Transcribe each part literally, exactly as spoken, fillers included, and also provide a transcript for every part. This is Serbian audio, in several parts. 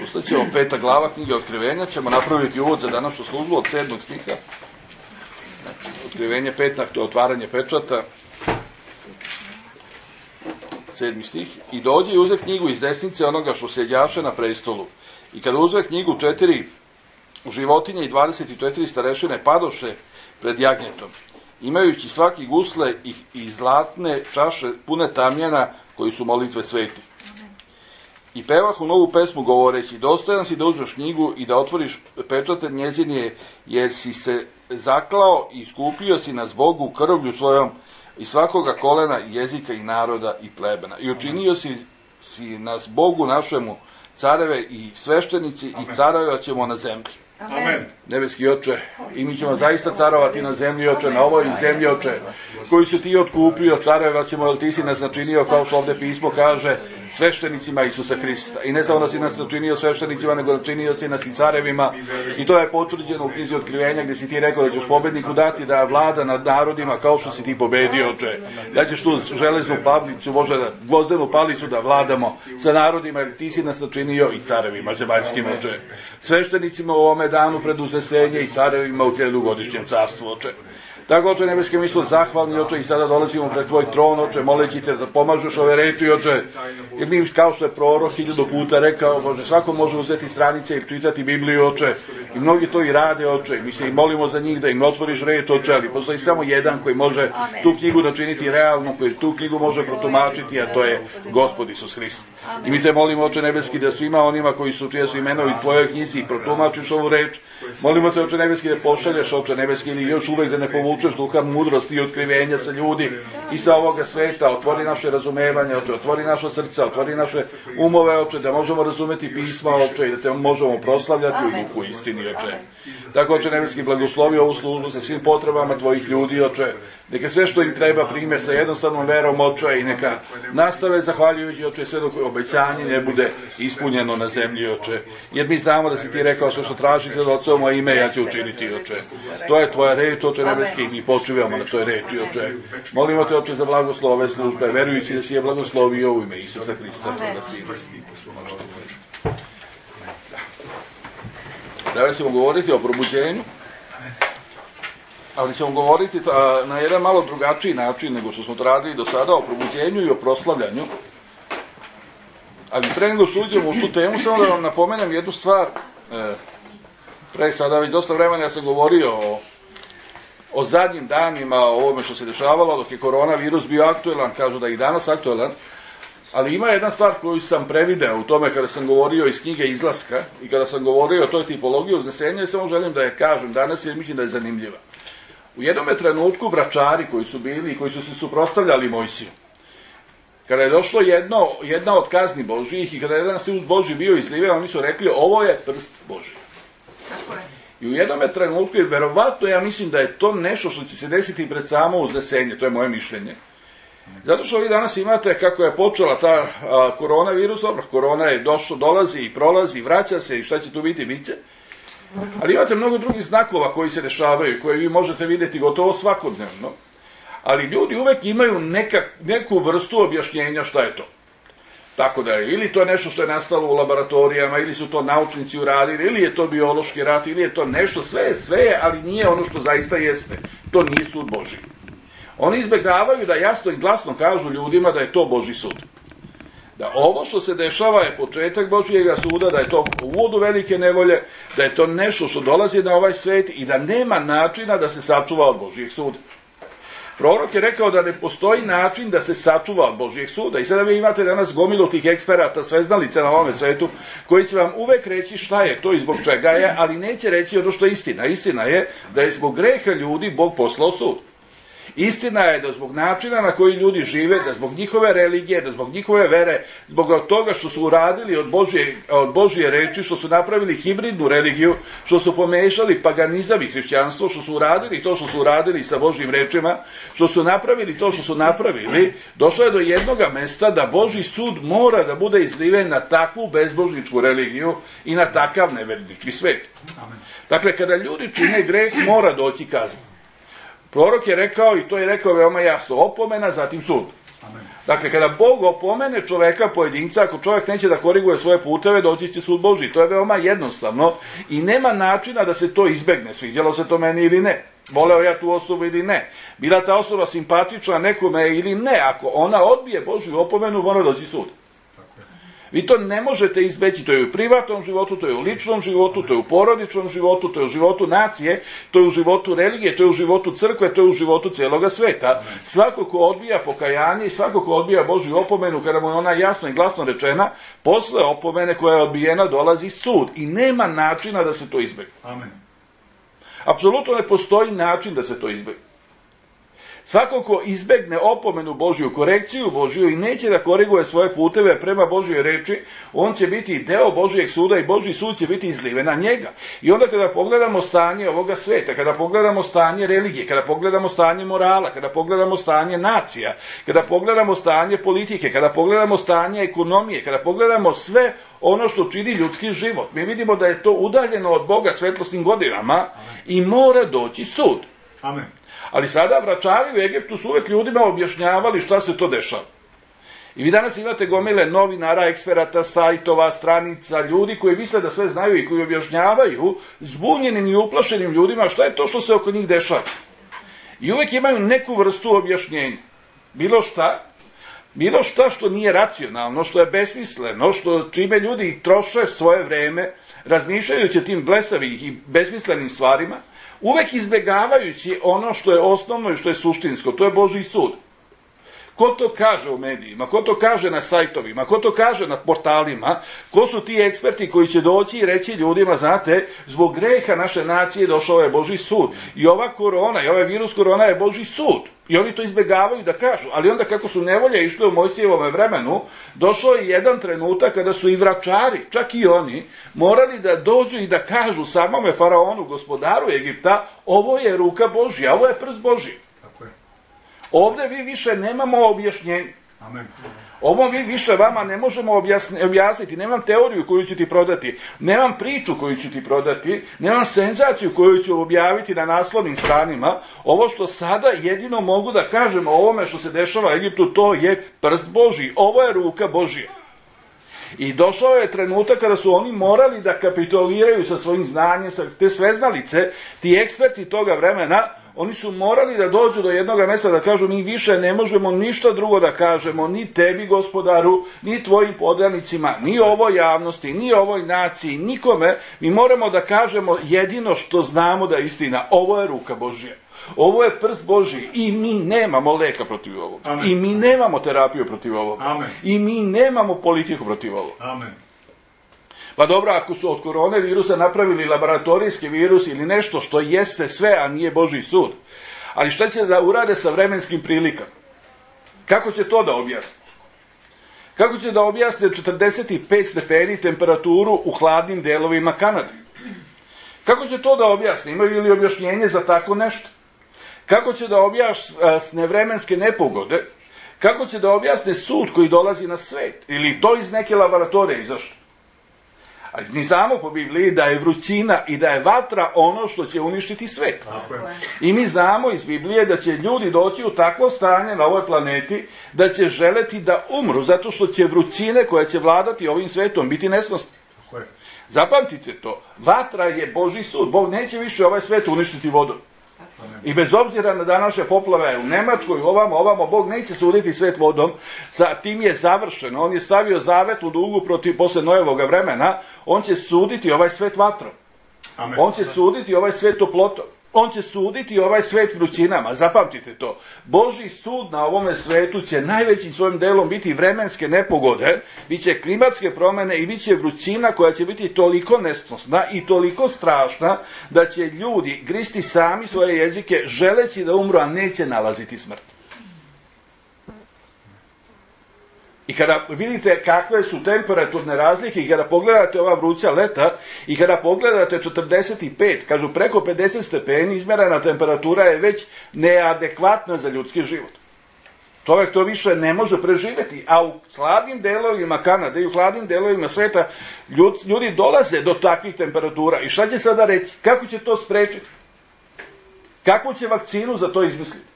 Ustaćemo peta glava knjige Otkrivenja, ćemo napraviti uvod za današnju službu od sedmog stiha. Otkrivenje petak, to je otvaranje pečata. Sedmi stih. I dođe i uze knjigu iz desnice onoga što sedjaše na prestolu. I kada uzve knjigu, četiri životinje i dvadeset četiri starešine padoše pred jagnjetom, imajući svaki gusle i, i zlatne čaše pune tamjana koji su molitve sveti. I pevahu novu pesmu govoreći, dostojan si da uzmeš knjigu i da otvoriš pečate njezine, jer si se zaklao i iskupio si nas Bogu krvlju svojom i svakoga kolena, jezika i naroda i plebena. I učinio si, si nas Bogu našemu careve i sveštenici i carovat ćemo na zemlji. Amen. Nebeski Oče, i mi ćemo zaista carovati na zemlji, Oče, na ovoj zemlji, Oče, koji si ti otkupio, carovat ćemo, jer ti si nas načinio, kao što ovde pismo kaže, sveštenicima Isusa Hrista. I ne samo da si nas načinio sveštenicima, nego načinio si nas i carevima. I to je potvrđeno u knjizi Otkrivenja, gdje si ti rekao da ćeš pobedniku dati da vlada nad narodima kao što si ti pobedio, Oče. Da ćeš tu železnu palicu, možda gvozdenu palicu da vladamo sa narodima, jer ti si nas načinio i carevima zemaljskim, Oče. Sveštenicima u ovome danu pred uznesenje i carevima u hiljadugodišnjem carstvu, Oče. Tako, Oče nebeski, mi smo zahvalni, Oče, i sada dolazimo pred tvoj tron, Oče, moleći te da pomažeš ove reči, Oče, jer mi, kao što je prorok hiljadu puta rekao, Bože, svako može uzeti stranice i čitati Bibliju, Oče, i mnogi to i rade, Oče, mi se i molimo za njih da im otvoriš reč, Oče, ali postoji samo jedan koji može tu knjigu načiniti realno, koji tu knjigu može protumačiti, a to je Gospod Isus Hrist. I mi te molimo, Oče nebeski, da svima onima koji su, čije su imenovi u tvojoj knjizi i protumačiš ovu reč, molimo te, Oče nebeski, da pošalješ, Oče nebeski, ili još uvek da ne povučeš duha mudrosti i otkrivenja sa ljudi i sa ovoga sveta. Otvori naše razumevanje, Oče, otvori naše srca, otvori naše umove, Oče, da možemo razumeti pisma, Oče, i da te možemo proslavljati u duhu istini, Oče. Tako, Oče nebeski, blagoslovi ovu službu sa svim potrebama tvojih ljudi, Oče. Neka sve što im treba prime sa jednostavnom verom, Oče, i neka nastave zahvaljujući, Oče, sve dok obećanje ne bude ispunjeno na zemlji, Oče. Jer mi znamo da si ti rekao sve što tražite od Oca u moje ime, ja ću učiniti, Oče. To je tvoja reč, Oče nebeski, i mi počivamo na toj reči, Oče. Molimo te, Oče, za blagoslov ove službe, verujući da si je blagoslovio u ime Isusa Hrista, tvoga Sina. Danas ćemo govoriti o probuđenju, ali ćemo govoriti na jedan malo drugačiji način nego što smo to radili do sada, o probuđenju i o proslavljanju. Ali pre nego što uđemo u tu temu, samo da vam napomenem jednu stvar. Pre sada već dosta vremena ja sam govorio o, o zadnjim danima, o ovome što se dešavalo dok je koronavirus bio aktuelan, kažu da je i danas aktuelan. Ali ima jedna stvar koju sam prevideo u tome kada sam govorio iz knjige Izlaska i kada sam govorio o toj tipologiji uznesenja, i samo želim da je kažem danas jer mislim da je zanimljiva. U jednom trenutku vračari koji su bili i koji su se suprotstavljali Mojsiju, kada je došlo jedno, jedna od kazni Božijih i kada je jedan sud Božji bio izliven, oni su rekli ovo je prst Božji. I u jednom trenutku, jer verovatno ja mislim da je to nešto što će se desiti pred samo uznesenje, to je moje mišljenje. Zato što vi danas imate kako je počela ta a, koronavirus, dobro, korona je došlo, dolazi i prolazi, vraća se i šta će tu biti, bit će. Ali imate mnogo drugih znakova koji se dešavaju, koje vi možete vidjeti gotovo svakodnevno. Ali ljudi uvek imaju neka, neku vrstu objašnjenja šta je to. Tako da je, ili to je nešto što je nastalo u laboratorijama, ili su to naučnici uradili, ili je to biološki rat, ili je to nešto, sve je, sve je, ali nije ono što zaista jeste. To nije sud Božji. Oni izbegavaju da jasno i glasno kažu ljudima da je to Božji sud. Da ovo što se dešava je početak Božjega suda, da je to uvod u velike nevolje, da je to nešto što dolazi na ovaj svet i da nema načina da se sačuva od Božjeg suda. Prorok je rekao da ne postoji način da se sačuva od Božjeg suda. I sada vi imate danas gomilu tih eksperata, sveznalica na ovome svetu, koji će vam uvek reći šta je to i zbog čega je, ali neće reći ono što je istina. Istina je da je zbog greha ljudi Bog poslao sud. Istina je da zbog načina na koji ljudi žive, da zbog njihove religije, da zbog njihove vere, zbog toga što su uradili od Božje, od Božje reči, što su napravili hibridnu religiju, što su pomešali paganizam i hrišćanstvo, što su uradili to što su uradili sa Božjim rečima, što su napravili to što su napravili, došlo je do jednoga mesta da Božji sud mora da bude izliven na takvu bezbožničku religiju i na takav nevernički svet. Dakle, kada ljudi čine greh, mora doći kazna. Prorok je rekao, i to je rekao veoma jasno, opomena, zatim sud. Dakle, kada Bog opomene čoveka, pojedinca, ako čovjek neće da koriguje svoje puteve, doći će sud Božji. To je veoma jednostavno i nema načina da se to izbegne, sviđalo se to meni ili ne. Voleo ja tu osobu ili ne. Bila ta osoba simpatična nekome ili ne. Ako ona odbije Božju opomenu, mora doći sud. Vi to ne možete izbeći, to je u privatnom životu, to je u ličnom životu, to je u porodičnom životu, to je u životu nacije, to je u životu religije, to je u životu crkve, to je u životu cijeloga sveta. Svako ko odbija pokajanje i svako ko odbija Božju opomenu, kada mu je ona jasno i glasno rečena, posle opomene koja je odbijena dolazi sud i nema načina da se to izbegne. Amen. Apsolutno ne postoji način da se to izbegne. Svako ko izbegne opomenu Božju, korekciju Božju i neće da koriguje svoje puteve prema Božjoj reči, on će biti deo Božjeg suda i Božji sud će biti izliven na njega. I onda kada pogledamo stanje ovoga sveta, kada pogledamo stanje religije, kada pogledamo stanje morala, kada pogledamo stanje nacija, kada pogledamo stanje politike, kada pogledamo stanje ekonomije, kada pogledamo sve ono što čini ljudski život, mi vidimo da je to udaljeno od Boga svetlosnim godinama i mora doći sud. Amen. Ali sada vračari u Egiptu su uvek ljudima objašnjavali šta se to dešava. I vi danas imate gomile novinara, eksperata, sajtova, stranica, ljudi koji misle da sve znaju i koji objašnjavaju zbunjenim i uplašenim ljudima šta je to što se oko njih dešava. I uvek imaju neku vrstu objašnjenja. Bilo šta, bilo šta što nije racionalno, što je besmisleno, što čime ljudi troše svoje vreme, razmišljajući o tim blesavim i besmislenim stvarima, uvek izbjegavajući ono što je osnovno i što je suštinsko, to je Božji sud. Ko to kaže u medijima, ko to kaže na sajtovima, ko to kaže na portalima, ko su ti eksperti koji će doći i reći ljudima, znate, zbog greha naše nacije došao je Božji sud. I ova korona, i ovaj virus korona je Božji sud. I oni to izbjegavaju da kažu. Ali onda kako su nevolje išle u Mojsijevom vremenu, došao je jedan trenutak kada su i vračari, čak i oni, morali da dođu i da kažu samome faraonu, gospodaru Egipta, ovo je ruka Božja, ovo je prst Božji. Ovdje vi više nemamo objašnjenje. Amen. Ovo vi više vama ne možemo objasni, objasniti. Nemam teoriju koju ću ti prodati. Nemam priču koju ću ti prodati. Nemam senzaciju koju ću objaviti na naslovnim stranima. Ovo što sada jedino mogu da kažem o ovome što se dešava u Egiptu, to je prst Božji. Ovo je ruka Božja. I došao je trenutak kada su oni morali da kapituliraju sa svojim znanjem, sa te sveznalice, ti eksperti toga vremena, oni su morali da dođu do jednog mjesta da kažu mi više ne možemo ništa drugo da kažemo, ni tebi gospodaru, ni tvojim podanicima, ni ovoj javnosti, ni ovoj naciji, nikome. Mi moramo da kažemo jedino što znamo da je istina. Ovo je ruka Božja. Ovo je prst Božji i mi nemamo leka protiv ovoga. Amen. I mi nemamo terapiju protiv ovoga. Amen. I mi nemamo politiku protiv ovoga. Amen. Pa dobro, ako su od korone virusa napravili laboratorijski virus ili nešto što jeste sve, a nije Božji sud, ali šta će da urade sa vremenskim prilikama? Kako će to da objasne? Kako će da objasne četrdeset pet stepeni temperaturu u hladnim delovima Kanade? Kako će to da objasne? Imaju li objašnjenje za tako nešto? Kako će da objasne vremenske nepogode? Kako će da objasne sud koji dolazi na svet? Ili to iz neke laboratorije izašlo? Ali mi znamo po Bibliji da je vrućina i da je vatra ono što će uništiti svet. I mi znamo iz Biblije da će ljudi doći u takvo stanje na ovoj planeti da će želeti da umru, zato što će vrućine koje će vladati ovim svetom biti nesnosne. Zapamtite to, vatra je Božji sud. Bog neće više ovaj svet uništiti vodom. I bez obzira na današnje poplave u Nemačkoj, ovamo, ovamo, Bog neće suditi svet vodom, sa tim je završeno. On je stavio zavetnu dugu protiv, posle Nojevoga vremena, on će suditi ovaj svet vatrom. Amen. On će suditi ovaj svet toplotom. On će suditi ovaj svet vrućinama, zapamtite to. Božji sud na ovome svetu će najvećim svojim delom biti vremenske nepogode, bit će klimatske promjene i bit će vrućina koja će biti toliko nesnosna i toliko strašna da će ljudi gristi sami svoje jezike želeći da umru, a neće nalaziti smrt. I kada vidite kakve su temperaturne razlike i kada pogledate ova vruća leta i kada pogledate četrdeset pet, kažu preko pedeset stepeni, izmjerena temperatura je već neadekvatna za ljudski život. Čovjek to više ne može preživjeti, a u hladnim delovima Kanade i u hladnim delovima sveta ljudi dolaze do takvih temperatura. I šta će sada reći? Kako će to sprečiti? Kakvu će vakcinu za to izmisliti?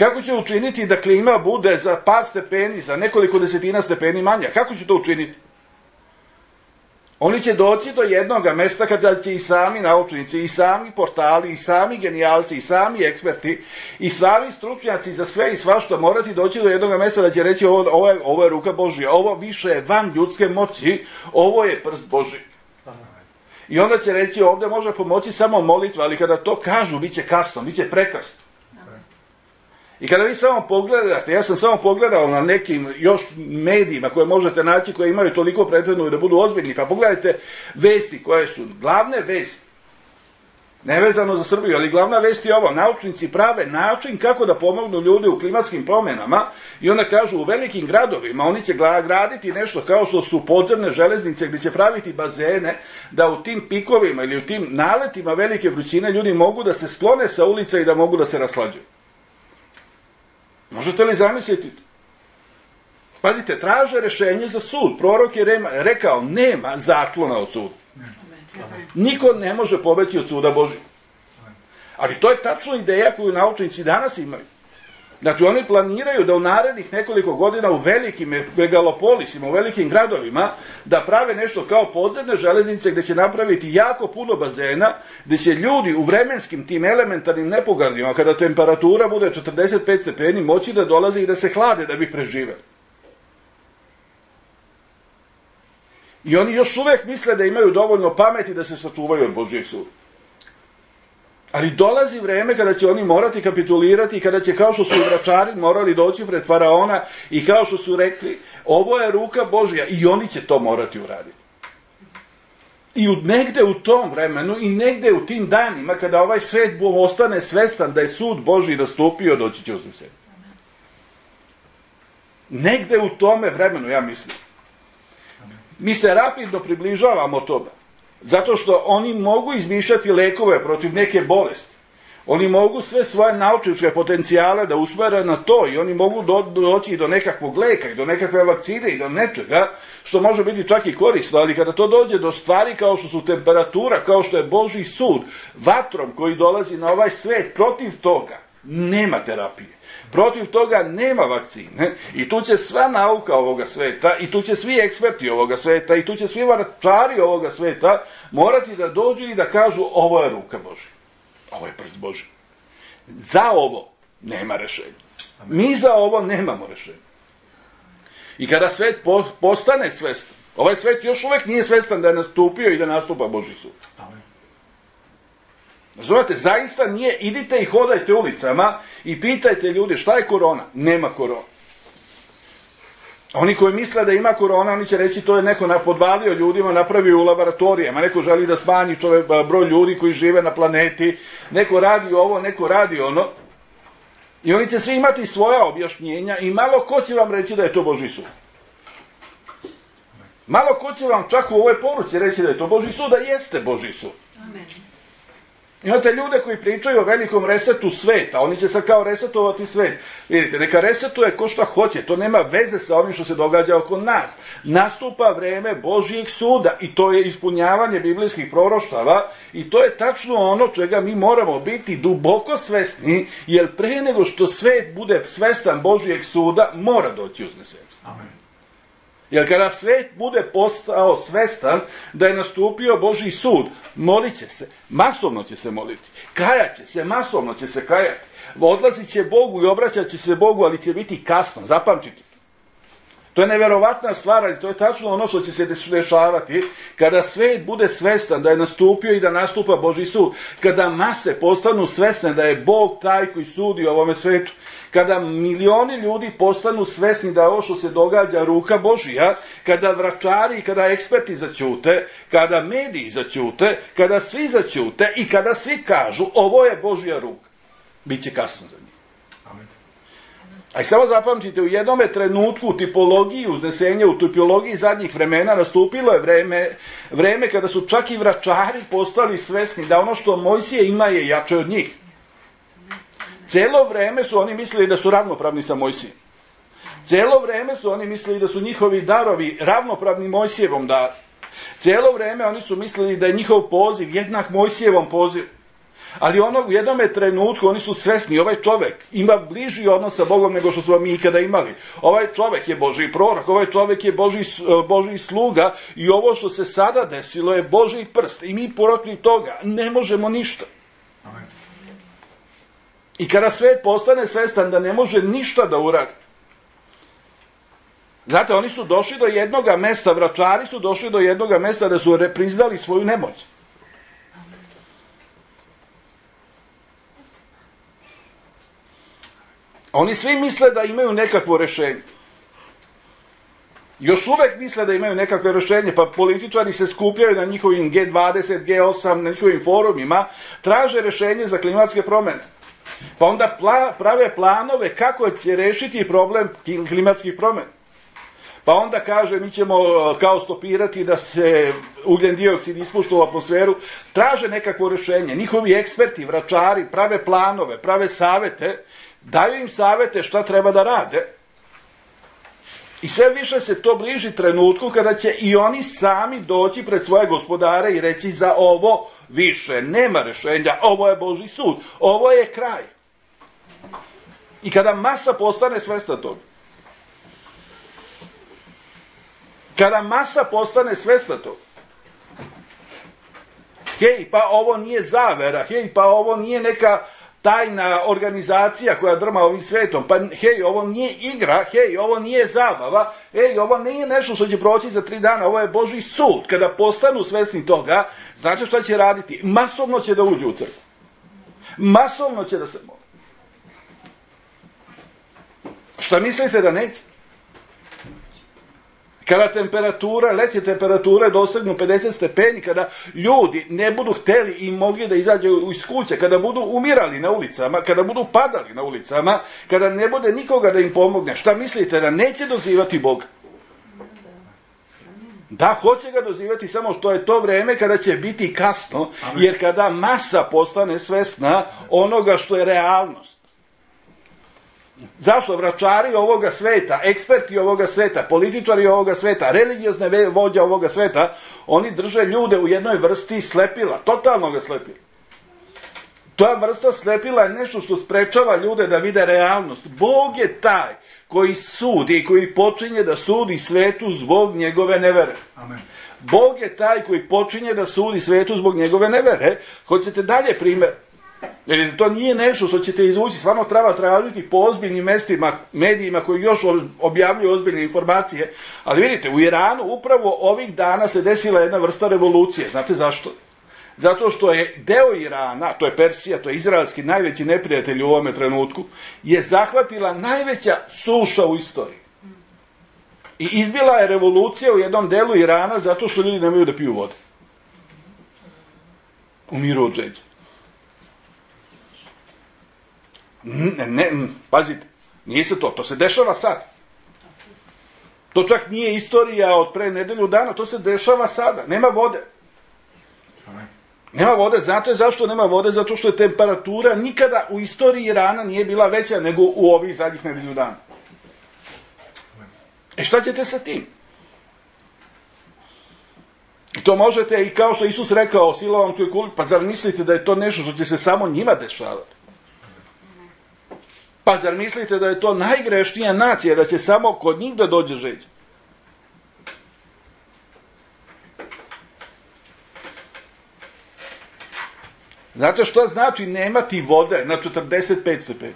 Kako će učiniti da klima bude za par stepeni, za nekoliko desetina stepeni manja? Kako će to učiniti? Oni će doći do jednog mesta kada će i sami naučnici, i sami portali, i sami genijalci, i sami eksperti, i sami stručnjaci za sve i svašta morati doći do jednog mesta da će reći ovo, ovo, je, ovo je ruka Božja, ovo više je van ljudske moći, ovo je prst Božji. I onda će reći ovdje može pomoći samo molitva, ali kada to kažu, bit će kasno, bit će prekasno. I kada vi samo pogledate, ja sam samo pogledao na nekim još medijima koje možete naći, koje imaju toliko prethodno da budu ozbiljni, pa pogledajte vesti koje su glavne vesti, nevezano za Srbiju, ali glavna vest je ovo, naučnici prave način kako da pomognu ljudi u klimatskim promjenama i onda kažu u velikim gradovima oni će graditi nešto kao što su podzemne železnice gdje će praviti bazene da u tim pikovima ili u tim naletima velike vrućine ljudi mogu da se sklone sa ulica i da mogu da se raslađuju. Možete li zamisliti to? Pazite, traže rešenje za sud. Prorok je rekao, nema zaklona od suda. Niko ne može pobeći od suda Božjeg. Ali to je tačno ideja koju naučnici danas imaju. Znači, oni planiraju da u narednih nekoliko godina u velikim megalopolisima, u velikim gradovima, da prave nešto kao podzemne železnice gdje će napraviti jako puno bazena, gdje će ljudi u vremenskim tim elementarnim nepogodama, kada temperatura bude četrdeset pet stepeni, moći da dolaze i da se hlade da bi preživeli. I oni još uvijek misle da imaju dovoljno pameti da se sačuvaju od Božjeg suda. Ali dolazi vreme kada će oni morati kapitulirati i kada će, kao što su i vračari morali doći pred faraona i kao što su rekli, ovo je ruka Božja, i oni će to morati uraditi. I u, negde u tom vremenu i negde u tim danima kada ovaj svet ostane svestan da je sud Božji nastupio, doći će uznesenje. Negde u tome vremenu, ja mislim. Mi se rapidno približavamo toga. Zato što oni mogu izmišljati lekove protiv neke bolesti. Oni mogu sve svoje naučničke potencijale da usmere na to i oni mogu do, doći do nekakvog leka i do nekakve vakcine i do nečega što može biti čak i korisno, ali kada to dođe do stvari kao što su temperatura, kao što je Božji sud, vatrom koji dolazi na ovaj svet, protiv toga nema terapije. Protiv toga nema vakcine i tu će sva nauka ovoga sveta i tu će svi eksperti ovoga sveta i tu će svi vračari ovoga sveta morati da dođu i da kažu ovo je ruka Božja, ovo je prst Božji. Za ovo nema rešenja. Mi za ovo nemamo rešenja. I kada svet postane svestan, ovaj svet još uvijek nije svestan da je nastupio i da nastupa Božji sud. Razumete, zaista nije, idite i hodajte ulicama i pitajte ljudi šta je korona. Nema korona. Oni koji misle da ima korona, oni će reći to je neko podvalio ljudima, napravio u laboratorijama, neko želi da smanji čovjek, broj ljudi koji žive na planeti, neko radi ovo, neko radi ono. I oni će svi imati svoja objašnjenja i malo ko će vam reći da je to Božji sud. Malo ko će vam čak u ovoj poruci reći da je to Božji sud, da jeste Božji sud. Amen. Imate ljude koji pričaju o velikom resetu sveta, oni će sad kao resetovati svet. Vidite, neka resetuje ko šta hoće, to nema veze sa onim što se događa oko nas. Nastupa vreme Božjeg suda i to je ispunjavanje biblijskih proroštava i to je tačno ono čega mi moramo biti duboko svesni, jer pre nego što svet bude svestan Božjeg suda, mora doći uznesenje. Amen. Jer kada svet bude postao svestan da je nastupio Božji sud, molit će se, masovno će se moliti, kajat će se, masovno će se kajati, odlazit će Bogu i obraćat će se Bogu, ali će biti kasno, zapamtite. To je neverovatna stvar, ali to je tačno ono što će se dešavati kada svet bude svestan da je nastupio i da nastupa Božji sud, kada mase postanu svesne da je Bog taj koji sudi ovome svetu, kada milioni ljudi postanu svesni da je ovo što se događa ruka Božija, kada vračari i kada eksperti zaćute, kada mediji zaćute, kada svi zaćute i kada svi kažu ovo je Božja ruka, bit će kasno za njih. Amen. A i samo zapamtite, u jednome trenutku u tipologiji uznesenja, u tipologiji zadnjih vremena nastupilo je vreme, vreme kada su čak i vračari postali svesni da ono što Mojsije ima je jače od njih. Cijelo vreme su oni mislili da su ravnopravni sa Mojsijem. Cijelo vreme su oni mislili da su njihovi darovi ravnopravni Mojsijevom daru. Cijelo vreme oni su mislili da je njihov poziv jednak Mojsijevom pozivu. Ali ono u jednome trenutku oni su svesni, ovaj čovjek ima bliži odnos sa Bogom nego što smo mi ikada imali. Ovaj čovjek je Božji prorok, ovaj čovjek je Božji, Božji sluga i ovo što se sada desilo je Božji prst. I mi protiv toga ne možemo ništa. Amen. I kada svet postane svestan da ne može ništa da uradi. Znate, oni su došli do jednoga mesta, vračari su došli do jednoga mesta da su priznali svoju nemoć. Oni svi misle da imaju nekakvo rješenje. Još uvek misle da imaju nekakve rješenje, pa političari se skupljaju na njihovim G dvadeset, G osam, na njihovim forumima, traže rješenje za klimatske promjene. Pa onda pla, prave planove kako će rešiti problem klimatskih promjena. Pa onda kaže, mi ćemo kao stopirati da se ugljen dioksid ispušta u atmosferu, traže nekakvo rješenje. Njihovi eksperti, vračari, prave planove, prave savete, daju im savete šta treba da rade. I sve više se to bliži trenutku kada će i oni sami doći pred svoje gospodare i reći za ovo više nema rješenja, ovo je Božji sud, ovo je kraj. I kada masa postane svesna toga, kada masa postane svesna toga, hej, pa ovo nije zavera, hej, pa ovo nije neka tajna organizacija koja drma ovim svetom, pa hej, ovo nije igra, hej, ovo nije zabava, hej, ovo nije nešto što će proći za tri dana, ovo je Božji sud. Kada postanu svesni toga, znate šta će raditi? Masovno će da uđu u crkvu. Masovno će da se moli. Šta mislite da neće? Kada temperatura, letnje temperature dosegnu pedeset stepeni, kada ljudi ne budu hteli i mogli da izađu iz kuće, kada budu umirali na ulicama, kada budu padali na ulicama, kada ne bude nikoga da im pomogne, šta mislite da neće dozivati Boga? Da, hoće ga dozivati, samo što je to vreme kada će biti kasno, jer kada masa postane svesna onoga što je realnost. Zašto? Vračari ovoga sveta, eksperti ovoga sveta, političari ovoga sveta, religiozne vođe ovoga sveta, oni drže ljude u jednoj vrsti slepila, totalnog slepila. Ta vrsta slepila je nešto što sprečava ljude da vide realnost. Bog je taj koji sudi i koji počinje da sudi svetu zbog njegove nevere. Amen. Bog je taj koji počinje da sudi svetu zbog njegove nevere. Hoćete dalje primjer? Jer to nije nešto što ćete izvući, stvarno treba tražiti po ozbiljnim mestima, medijima koji još objavljuju ozbiljne informacije. Ali vidite, u Iranu upravo ovih dana se desila jedna vrsta revolucije. Znate zašto? Zato što je deo Irana, to je Persija, to je izraelski najveći neprijatelj u ovome trenutku, je zahvatila najveća suša u istoriji. I izbila je revolucija u jednom delu Irana zato što ljudi nemaju da piju vode. Umiru od žeđa. Ne, ne, pazite, nije se to, to se dešava sad. To čak nije istorija od pre nedelju dana, to se dešava sada, nema vode. Nema vode, znate zašto nema vode? Zato što je temperatura nikada u istoriji Irana nije bila veća nego u ovih zadnjih nedelju dana. E šta ćete sa tim? I to možete, i kao što Isus rekao o siloamskoj kuli, pa zar mislite da je to nešto što će se samo njima dešavati? Pa zar mislite da je to najgrešnija nacija, da će samo kod njih da dođe žeđ? Znate što znači nemati vode na četrdeset pet stepeni?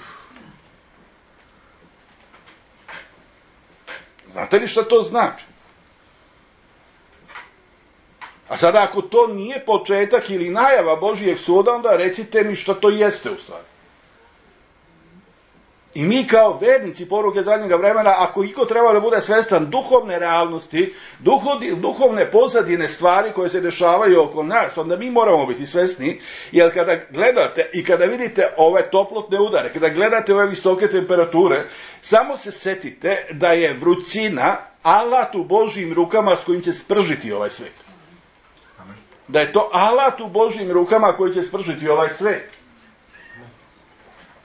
Znate li šta to znači? A sada ako to nije početak ili najava Božijeg suda, onda recite mi šta to jeste u stvari. I mi kao vernici poruke zadnjega vremena, ako iko treba da bude svestan duhovne realnosti, duhovne pozadine stvari koje se dešavaju oko nas, onda mi moramo biti svesni, jer kada gledate i kada vidite ove toplotne udare, kada gledate ove visoke temperature, samo se setite da je vrućina alat u Božjim rukama s kojim će spržiti ovaj svet. Da je to alat u Božjim rukama koji će spržiti ovaj svet.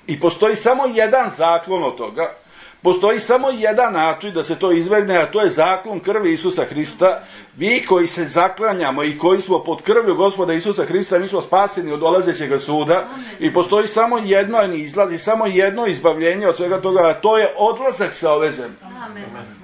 I postoji samo jedan zaklon od toga. Postoji samo jedan način da se to izbegne, a to je zaklon krvi Isusa Hrista. Mi koji se zaklanjamo i koji smo pod krvlju Gospoda Isusa Hrista, mi smo spaseni od dolazećeg suda. I postoji samo jedno izlaz i samo jedno izbavljenje od svega toga, a to je odlazak sa ove zemlje. Amen.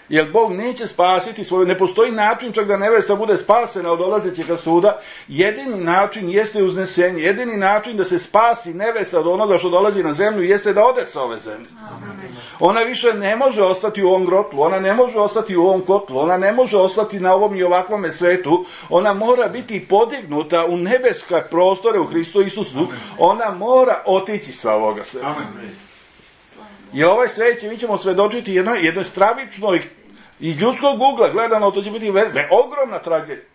Jer Bog neće spasiti svoju, ne postoji način čak da nevesta bude spasena od dolazećeg suda. Jedini način jeste uznesenje, jedini način da se spasi nevesta od onoga što dolazi na zemlju jeste da ode sa ove zemlje. Amen. Ona više ne može ostati u ovom grotlu, ona ne može ostati u ovom kotlu, ona ne može ostati na ovom i ovakvome svetu, ona mora biti podignuta u nebeske prostore u Hristu Isusu, ona mora otići sa ovoga sveta. Jer ovaj svet će, mi ćemo svedočiti jednoj, jednoj stravičnoj, iz ljudskog ugla gledano, to će biti ve, ve, ogromna tragedija.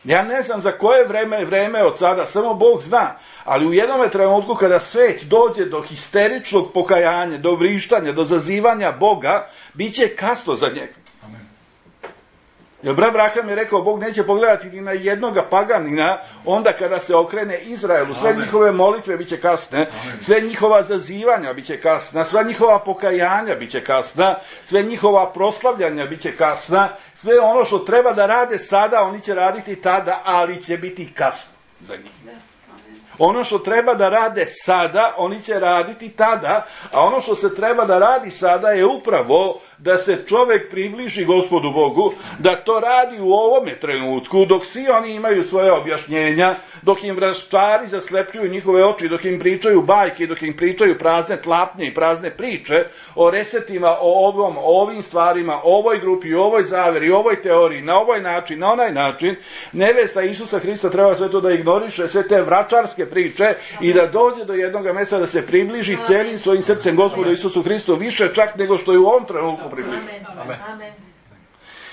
Ja ne znam za koje vreme vreme od sada, samo Bog zna, ali u jednom trenutku kada svet dođe do histeričnog pokajanja, do vrištanja, do zazivanja Boga, bit će kasno za njega. Jer brat Braham je rekao, Bog neće pogledati ni na jednoga paganina, onda kada se okrene Izraelu, sve Amen. Njihove molitve bit će kasne, Amen. Sve njihova zazivanja bit će kasna, sva njihova pokajanja bit će kasna, sve njihova proslavljanja bit će kasna, sve ono što treba da rade sada, oni će raditi tada, ali će biti kasno za njih. Ono što treba da rade sada, oni će raditi tada, a ono što se treba da radi sada je upravo da se čovjek približi Gospodu Bogu, da to radi u ovome trenutku, dok svi oni imaju svoje objašnjenja, dok im vračari zaslepljuju njihove oči, dok im pričaju bajke, dok im pričaju prazne tlapnje i prazne priče o resetima, o ovom, o ovim stvarima, o ovoj grupi, o ovoj zaveri, o ovoj teoriji, na ovaj način, na onaj način, nevesta Isusa Hrista treba sve to da ignoriše, sve te vračarske priče i da dođe do jednog mjesta da se približi celim svojim srcem Gospodu Isusu Hristu, više čak nego što je u ovom trenutku približi. Amen. Amen.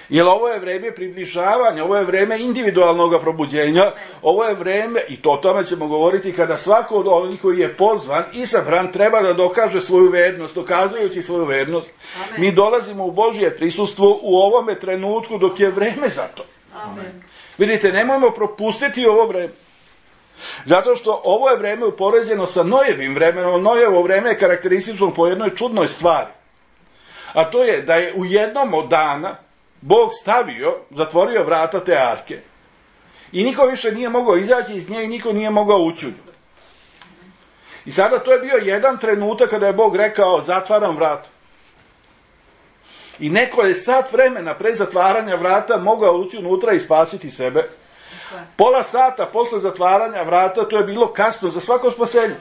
Jer ovo je vreme približavanja, ovo je vreme individualnog probuđenja, ovo je vreme, i to o tome ćemo govoriti, kada svako od onih koji je pozvan, isabran, treba da dokaže svoju vernost, dokazujući svoju vernost. Amen. Mi dolazimo u Božje prisustvo u ovome trenutku dok je vreme za to. Amen. Vidite, nemojmo propustiti ovo vreme. Zato što ovo je vreme upoređeno sa Nojevim vremenom. Nojevo vreme je karakteristično po jednoj čudnoj stvari. A to je da je u jednom od dana Bog stavio, zatvorio vrata te arke. I niko više nije mogao izaći iz nje i niko nije mogao ući u nju. I sada to je bio jedan trenutak kada je Bog rekao, zatvaram vrata. I neko je sat vremena pre zatvaranja vrata mogao ući unutra i spasiti sebe. Pola sata posle zatvaranja vrata, to je bilo kasno za svako spasenje.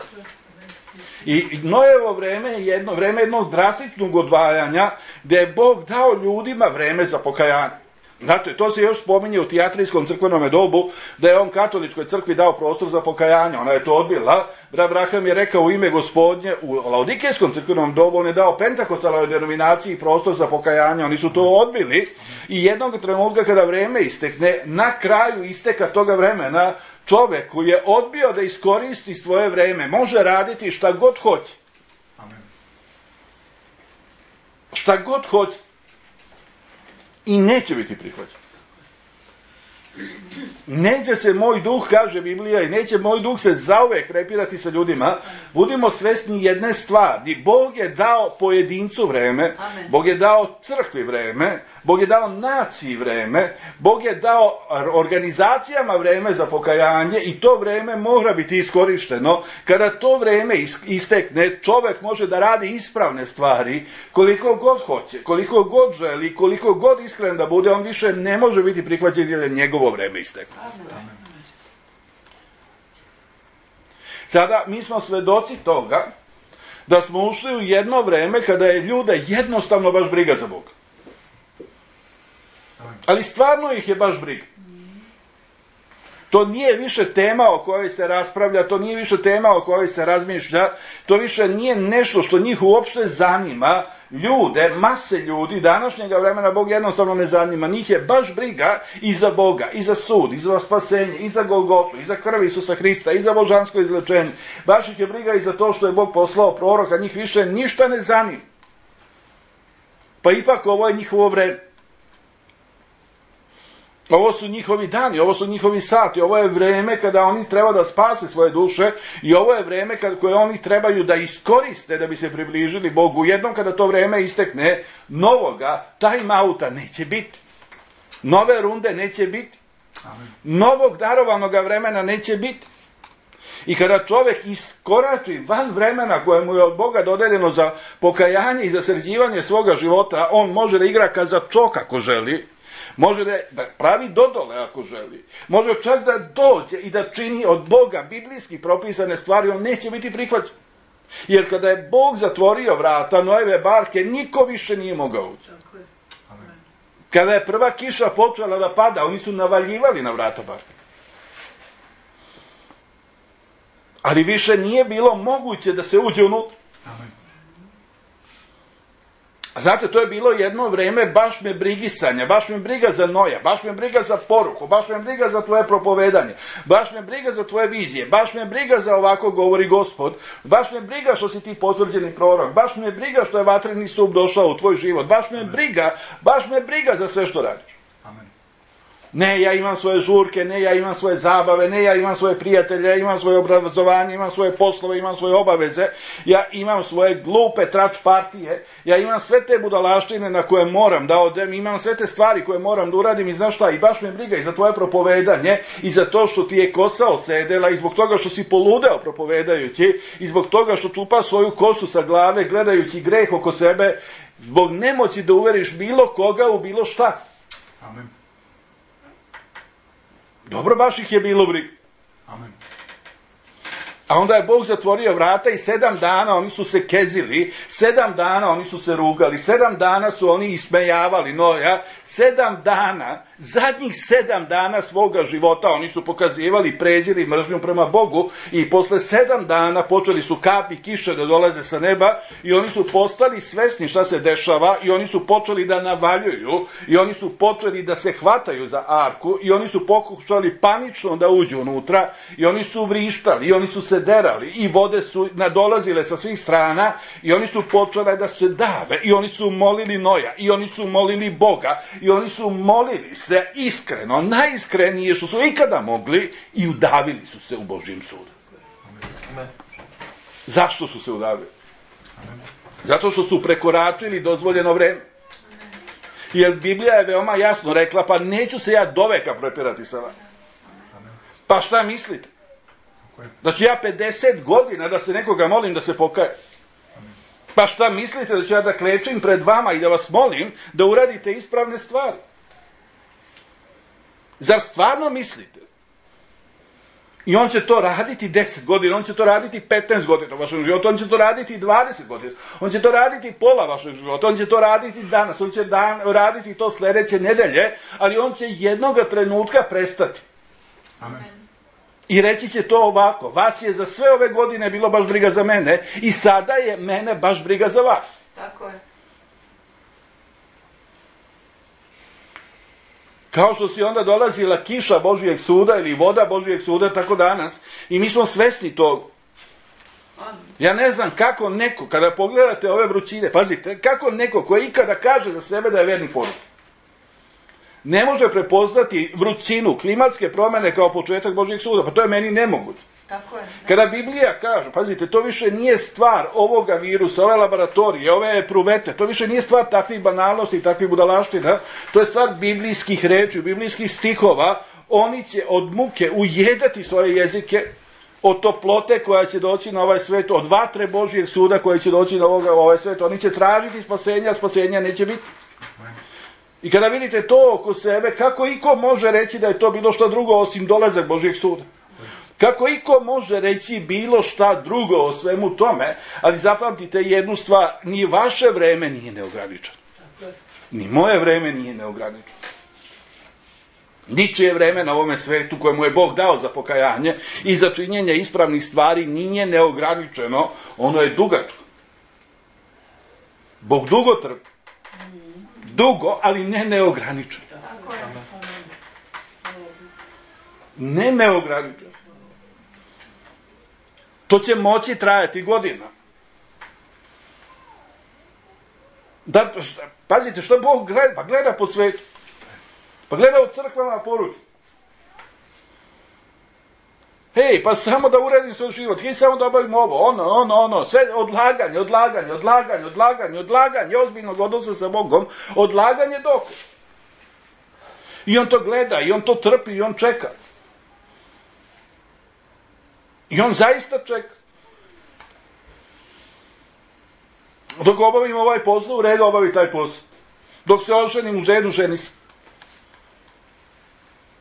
I Nojevo vreme je jedno vreme jednog drastičnog odvajanja, gdje je Bog dao ljudima vreme za pokajanje. Znate, to se još spominje u tijatrijskom crkvenom dobu, da je on katoličkoj crkvi dao prostor za pokajanje. Ona je to odbila. Brat Braham je rekao u ime Gospodnje, u Laodikejskom crkvenom dobu, on je dao pentakostalnoj denominaciji prostor za pokajanje. Oni su to odbili i jednog trenutka kada vreme istekne, na kraju isteka toga vremena, čovjek koji je odbio da iskoristi svoje vreme može raditi šta god hoće. Amen. Šta god hoće. I neće biti prihvaćen. Neće se moj duh, kaže Biblija, i neće moj duh se zauvek repirati sa ljudima. Budimo svesni jedne stvari. Bog je dao pojedincu vreme, Amen. Bog je dao crkvi vreme, Bog je dao naciji vreme, Bog je dao organizacijama vreme za pokajanje i to vreme mora biti iskorišteno. Kada to vreme istekne, čovjek može da radi ispravne stvari koliko god hoće, koliko god želi, koliko god iskren da bude, on više ne može biti prihvaćen jer je njegovo vreme isteklo. Sada mi smo svedoci toga da smo ušli u jedno vreme kada je ljude jednostavno baš briga za Boga. Ali stvarno ih je baš briga. To nije više tema o kojoj se raspravlja, to nije više tema o kojoj se razmišlja, to više nije nešto što njih uopšte zanima. Ljude, mase ljudi, današnjega vremena Bog jednostavno ne zanima. Njih je baš briga i za Boga, i za sud, i za spasenje, i za Golgotu, i za krv Isusa Hrista, i za božansko izlečenje. Baš ih je briga i za to što je Bog poslao proroka, njih više ništa ne zanima. Pa ipak ovo je njihovo vreme. Ovo su njihovi dani, ovo su njihovi sati, ovo je vreme kada oni treba da spase svoje duše i ovo je vreme kada, koje oni trebaju da iskoriste da bi se približili Bogu. Jednom kada to vreme istekne, novoga time outa neće biti. Nove runde neće biti. Novog darovanog vremena neće biti. I kada čovjek iskorači van vremena koje mu je od Boga dodeljeno za pokajanje i za sređivanje svoga života, on može da igra kazačok ako želi, može da, da pravi dodole ako želi, može čak da dođe i da čini od Boga biblijski propisane stvari, on neće biti prihvaćen. Jer kada je Bog zatvorio vrata Noeve barke, niko više nije mogao ući. Kada je prva kiša počela da pada, oni su navaljivali na vrata barke. Ali više nije bilo moguće da se uđe unutra. A znate, to je bilo jedno vreme baš me brigisanja, baš me briga za Noja, baš me briga za poruku, baš me briga za tvoje propovedanje, baš me briga za tvoje vizije, baš me briga za ovako govori Gospod, baš me briga što si ti potvrđeni prorok, baš me briga što je vatreni stup došao u tvoj život, baš me briga, baš me briga za sve što radiš. Ne, ja imam svoje žurke, ne, ja imam svoje zabave, ne, ja imam svoje prijatelje, ja imam svoje obrazovanje, imam svoje poslove, imam svoje obaveze, ja imam svoje glupe trač partije, ja imam sve te budalaštine na koje moram da odem, imam sve te stvari koje moram da uradim i znaš šta, i baš me briga i za tvoje propovedanje, i za to što ti je kosa osedela, i zbog toga što si poludeo propovedajući, i zbog toga što čupa svoju kosu sa glave gledajući greh oko sebe, zbog nemoći da uveriš bilo koga u bilo šta. Amen. Dobro, baš ih je bilo briga. Amen. A onda je Bog zatvorio vrata i sedam dana oni su se kezili, sedam dana oni su se rugali, sedam dana su oni ismejavali Noja, sedam dana, zadnjih sedam dana svoga života oni su pokazivali prezir i mržnju prema Bogu i posle sedam dana počeli su kapi kiše da dolaze sa neba i oni su postali svesni šta se dešava i oni su počeli da navaljuju i oni su počeli da se hvataju za arku i oni su pokušali panično da uđu unutra i oni su vrištali i oni su se derali i vode su nadolazile sa svih strana i oni su počele da se dave i oni su molili Noja i oni su molili Boga i oni su molili se iskreno, najiskrenije što su ikada mogli i udavili su se u Božjem sudu. Amen. Zašto su se udavili? Zato što su prekoračili dozvoljeno vreme. Jer Biblija je veoma jasno rekla, pa neću se ja doveka prepirati sa vama. Pa šta mislite? Da ću ja pedeset godina da se nekoga molim da se pokaje? Pa šta mislite da ću ja da klečim pred vama i da vas molim da uradite ispravne stvari? Zar stvarno mislite? I on će to raditi deset godina, on će to raditi petnaest godina u vašem životu, on će to raditi dvadeset godina, on će to raditi pola vašeg života, on će to raditi danas, on će dan, raditi to sledeće nedelje, ali on će jednoga trenutka prestati. Amen. I reći će to ovako, vas je za sve ove godine bilo baš briga za mene i sada je mene baš briga za vas. Tako je. Kao što si onda dolazila kiša Božijeg suda ili voda Božijeg suda, tako danas. I mi smo svesni toga. Ja ne znam kako neko, kada pogledate ove vrućine, pazite, kako neko koji ikada kaže za sebe da je verni porod, ne može prepoznati vrućinu, klimatske promjene kao početak Božijeg suda. Pa to je meni nemoguće. Tako je. Kada Biblija kaže, pazite, to više nije stvar ovoga virusa, ove laboratorije, ove pruvete, to više nije stvar takvih banalnosti i takvih budalaština, to je stvar biblijskih reči, biblijskih stihova. Oni će od muke ujedati svoje jezike, od toplote koja će doći na ovaj svet, od vatre Božijeg suda koja će doći na ovoga, ovaj svet. Oni će tražiti spasenja, a spasenja neće biti. I kada vidite to oko sebe, kako iko može reći da je to bilo šta drugo osim dolazak Božijeg suda? Kako iko može reći bilo šta drugo o svemu tome, ali zapamtite jednu stvar, ni vaše vreme nije neograničeno. Ni moje vreme nije neograničeno. Ničije vreme na ovome svetu koje mu je Bog dao za pokajanje i za činjenje ispravnih stvari nije neograničeno, ono je dugačko. Bog dugo trpi. Dugo, ali ne neograničeno. Ne neograničeno. To će moći trajati godina. Da, šta, pazite, što Bog gleda? Pa gleda po svetu. Pa gleda u crkvama poruke. Hej, pa samo da uredim svoj život, hej, samo da obavim ovo, ono, ono, ono, sve odlaganje, odlaganje, odlaganje, odlaganje, odlaganje, ozbiljnog odnosa sa Bogom, odlaganje dok. I on to gleda, i on to trpi, i on čeka. I on zaista čeka. Dok obavim ovaj posao, u redu obavi taj posao. Dok se oženim, u redu, ženi se.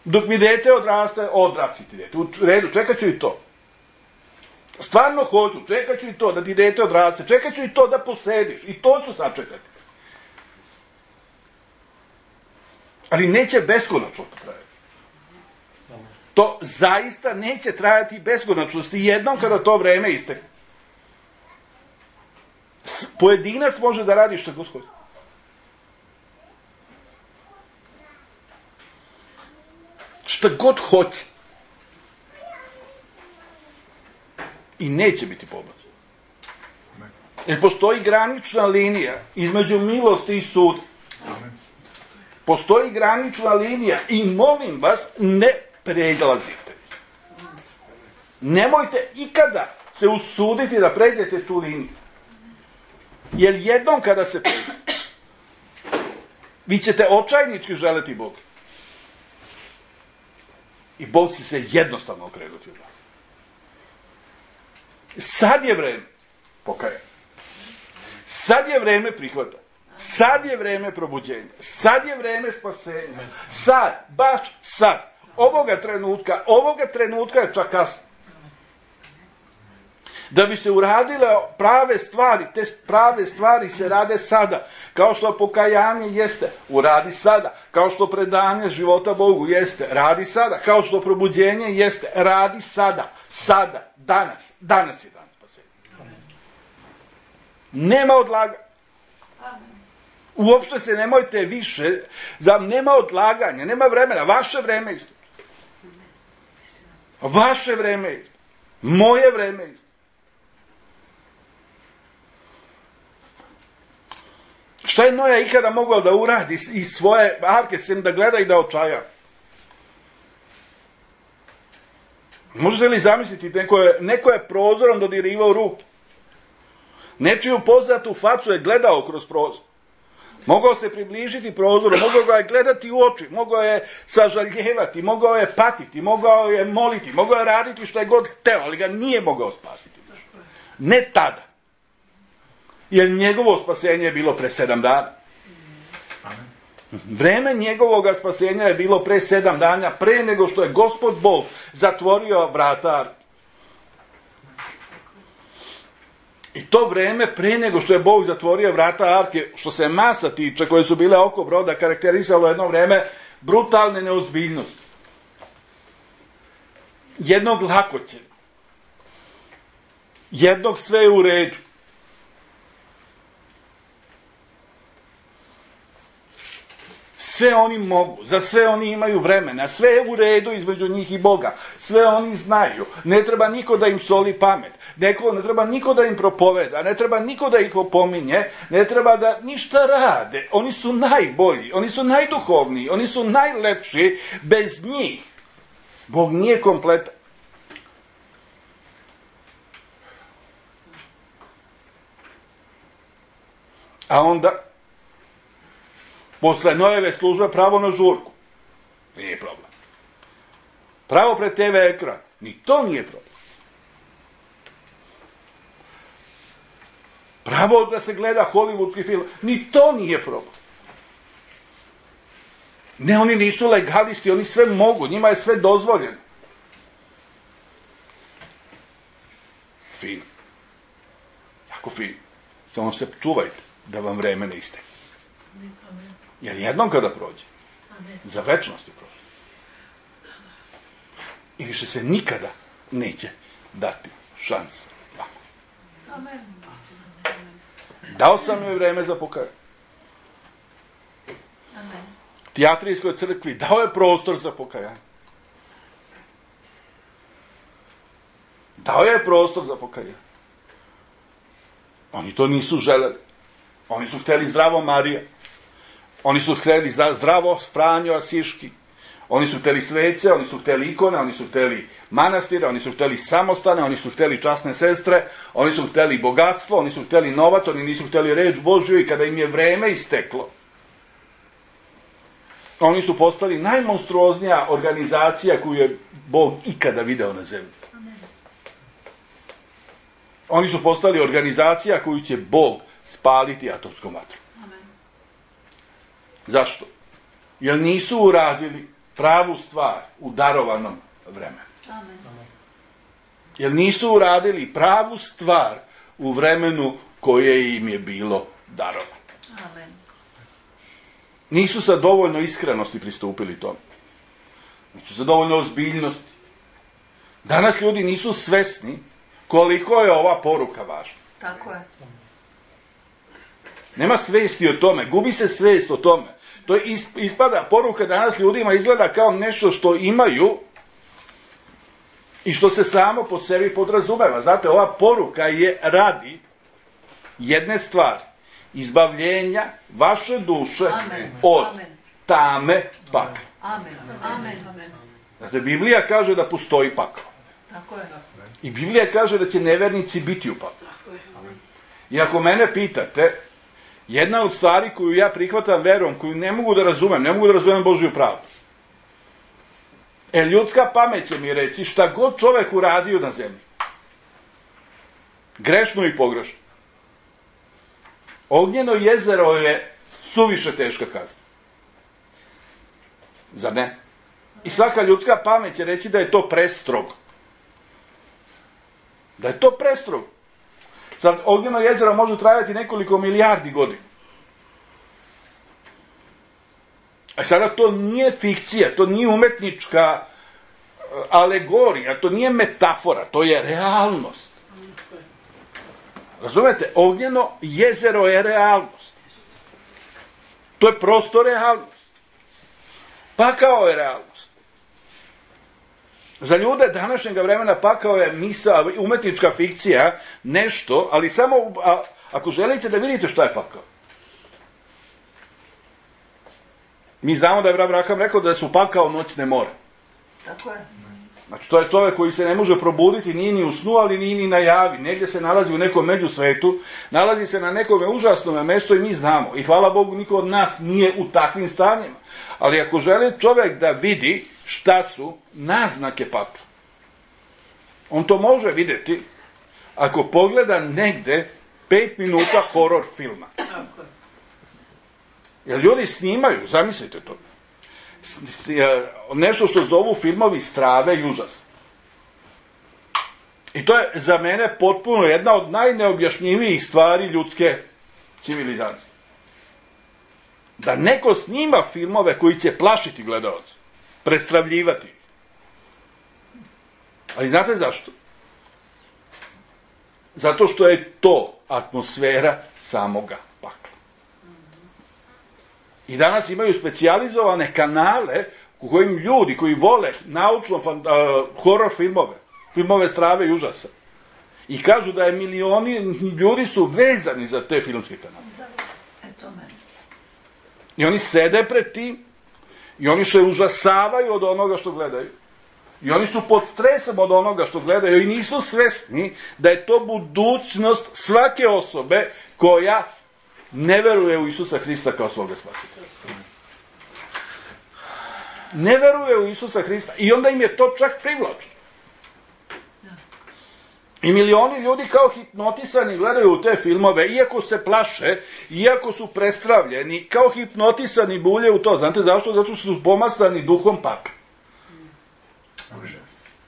Dok mi dete odraste, odrasti ti dete. U redu, čekat ću i to. Stvarno hoću, čekat ću i to da ti dete odraste, čekat ću i to da posediš, i to ću sačekati. Ali neće beskonačno to trajati. To zaista neće trajati beskonačnosti jednom kada to vreme istekne. Pojedinac može da radi što god hoće. Šta god hoće. I neće biti pobačaj. Jer postoji granična linija između milosti i suda. Postoji granična linija i molim vas, ne prelazite. Nemojte ikada se usuditi da pređete tu liniju. Jer jednom kada se pređe, vi ćete očajnički želeti Boga. I Bog će se jednostavno okrenuti od vas. Sad je vreme pokajanja. Sad je vreme prihvata. Sad je vreme probuđenja. Sad je vreme spasenja. Sad, baš sad. Ovoga trenutka, ovoga trenutka je čak kasno. Da bi se uradile prave stvari, te prave stvari se rade sada. Kao što pokajanje jeste, uradi sada. Kao što predanje života Bogu jeste, radi sada. Kao što probuđenje jeste, radi sada. Sada, danas. Danas je dan spasenja. Nema odlaganja. Uopšte se nemojte više, za, nema odlaganja, nema vremena. Vaše vreme isto. Vaše vreme isto. Moje vreme isto. Šta je Noja ikada mogao da uradi iz svoje arke, sem da gleda i da očaja? Možete li zamisliti, neko je, neko je prozorom dodirivao ruke. Nečiju poznatu facu je gledao kroz prozor. Mogao se približiti prozoru, mogao ga je gledati u oči, mogao je sažaljevati, mogao je patiti, mogao je moliti, mogao je raditi što je god hteo, ali ga nije mogao spasiti. Ne tada. Jer njegovo spasenje je bilo pre sedam dana. Vreme njegovog spasenja je bilo pre sedam dana, pre nego što je Gospod Bog zatvorio vrata arke. I to vreme pre nego što je Bog zatvorio vrata arke, što se masa tiče, koje su bile oko broda, karakterisalo jedno vreme brutalne neozbiljnosti. Jednog lakoćenja. Jednog sve je u redu. Sve oni mogu, za sve oni imaju vremena, sve je u redu između njih i Boga, sve oni znaju, ne treba niko da im soli pamet, neko, ne treba niko da im propoveda, ne treba niko da ih opominje, ne treba da ništa rade, oni su najbolji, oni su najduhovniji, oni su najlepši, bez njih Bog nije kompletan. A onda posle Nojeve službe pravo na žurku. Nije problem. Pravo pred te ve ekran. Ni to nije problem. Pravo da se gleda hollywoodski film. Ni to nije problem. Ne, oni nisu legalisti, oni sve mogu, njima je sve dozvoljeno. Fin. Jako fin. Samo se čuvajte da vam vreme ne istekne. Jer jednom kada prođe, za večnost je prošlo. I više se nikada neće dati šansa vama. Dao sam joj vreme za pokajanje. Tijatrijskoj crkvi dao je prostor za pokajanje. Dao je prostor za pokajanje. Oni to nisu želeli. Oni su hteli zdravo Marija. Oni su hteli zdravo Franjo Asiški, oni su hteli svece, oni su hteli ikone, oni su hteli manastire, oni su hteli samostane, oni su hteli časne sestre, oni su hteli bogatstvo, oni su hteli novac, oni nisu hteli reč Božju i kada im je vreme isteklo, oni su postali najmonstruoznija organizacija koju je Bog ikada video na zemlji. Oni su postali organizacija koju će Bog spaliti atomskom vatrom. Zašto? Jer nisu uradili pravu stvar u darovanom vremenu. Amen. Jer nisu uradili pravu stvar u vremenu koje im je bilo darovano. Amen. Nisu sa dovoljno iskrenosti pristupili tome. Nisu sa dovoljno ozbiljnosti. Danas ljudi nisu svesni koliko je ova poruka važna. Tako je. Nema svesti o tome, gubi se svest o tome. To je ispada, poruka danas ljudima izgleda kao nešto što imaju i što se samo po sebi podrazumeva. Znate, ova poruka je radi jedne stvari, izbavljenja vaše duše Amen. od Amen. tame pakla. Amen. Amen. Amen. Znate, Biblija kaže da postoji pakao. Tako je. I Biblija kaže da će nevernici biti u paklu. I ako mene pitate, jedna od stvari koju ja prihvatam verom, koju ne mogu da razumem, ne mogu da razumem Božju pravdu. E, ljudska pamet će mi reći šta god čovek uradio na zemlji. Grešno i pogrešno. Ognjeno jezero je suviše teška kazna. Zar ne? I svaka ljudska pamet će reći da je to prestrogo. Da je to prestrogo. Sad, ognjeno jezero može trajati nekoliko milijardi godina. A sada to nije fikcija, to nije umetnička alegorija, to nije metafora, to je realnost. Razumete? Ognjeno jezero je realnost. To je prosto realnost. Pakao je realnost. Za ljude današnjeg vremena pakao je misa, umetnička fikcija, nešto, ali samo a, ako želite da vidite šta je pakao. Mi znamo da je Abraham rekao da su pakao noćne more. Tako je. Znači, to je čovjek koji se ne može probuditi, nije ni u snu, ali nije ni na javi. Negdje se nalazi u nekom međusvetu, nalazi se na nekome užasnom mjestu i mi znamo. I hvala Bogu, niko od nas nije u takvim stanjima. Ali ako želi čovjek da vidi šta su naznake pakla, on to može vidjeti ako pogleda negde pet minuta horor filma. Jer ljudi snimaju, zamislite to, nešto što zovu filmovi strave i užas. I to je za mene potpuno jedna od najneobjašnjivijih stvari ljudske civilizacije. Da neko snima filmove koji će plašiti gledaoce, prestravljivati. Ali znate zašto? Zato što je to atmosfera samoga pakla. I danas imaju specijalizovane kanale u kojim ljudi koji vole naučno uh, horor filmove, filmove strave i užasa. I kažu da je milioni ljudi su vezani za te filmske kanale. Eto meni. I oni sede pred tim i oni se užasavaju od onoga što gledaju. I oni su pod stresom od onoga što gledaju i nisu svesni da je to budućnost svake osobe koja ne veruje u Isusa Hrista kao svoga spasitelja. Ne veruje u Isusa Hrista i onda im je to čak privlačno. I milioni ljudi kao hipnotisani gledaju u te filmove, iako se plaše, iako su prestravljeni, kao hipnotisani bulje u to. Znate zašto? Zato što su pomastani duhom pakla.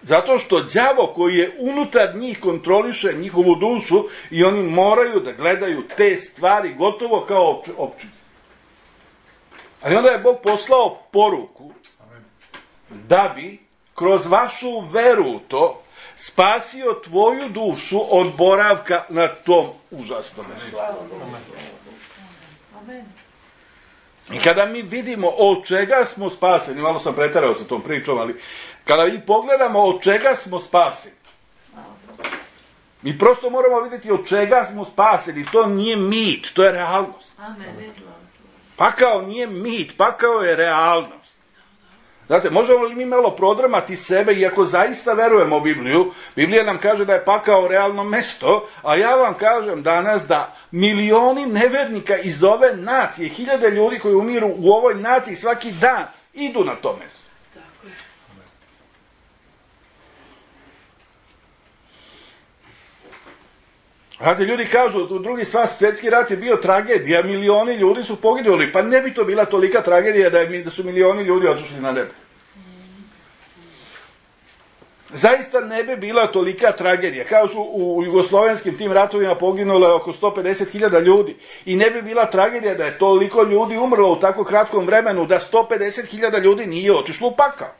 Zato što đavo koji je unutar njih kontroliše njihovu dušu i oni moraju da gledaju te stvari gotovo kao opći. Ali onda je Bog poslao poruku da bi kroz vašu veru u to spasio tvoju dušu od boravka na tom užasnom mjestu. I kada mi vidimo od čega smo spaseni, malo sam preterao sa tom pričom, ali kada mi pogledamo od čega smo spaseni, mi prosto moramo vidjeti od čega smo spaseni. To nije mit, to je realnost. Amen. Pakao nije mit, pakao je realnost. Znate, možemo li mi malo prodramati sebe, iako zaista verujemo u Bibliju, Biblija nam kaže da je pakao realno mesto, a ja vam kažem danas da milioni nevernika iz ove nacije, hiljade ljudi koji umiru u ovoj naciji svaki dan, idu na to mesto. Znate, ljudi kažu, u drugi sva svjetski rat je bio tragedija, milioni ljudi su poginuli, pa ne bi to bila tolika tragedija da, je, da su milioni ljudi otišli na nebo. Zaista ne bi bila tolika tragedija. Kažu, u jugoslovenskim tim ratovima poginulo je oko sto pedeset hiljada ljudi i ne bi bila tragedija da je toliko ljudi umrlo u tako kratkom vremenu da sto pedeset hiljada ljudi nije otišlo u pakao.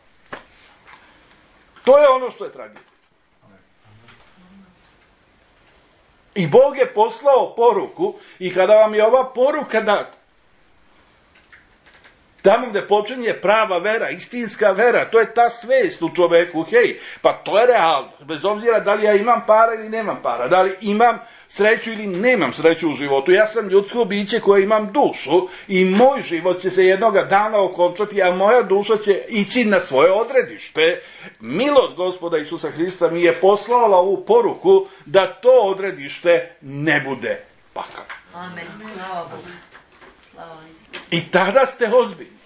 To je ono što je tragedija. I Bog je poslao poruku i kada vam je ova poruka data, tamo gde počinje prava vera, istinska vera, to je ta svest u čoveku, hej, pa to je realno, bez obzira da li ja imam para ili nemam para, da li imam sreću ili nemam sreću u životu. Ja sam ljudsko biće koje imam dušu i moj život će se jednoga dana okončati, a moja duša će ići na svoje odredište. Milost Gospoda Isusa Hrista mi je poslala ovu poruku da to odredište ne bude pakao. Amen. Slava Bogu. Slava Isusu. I tada ste ozbiljni.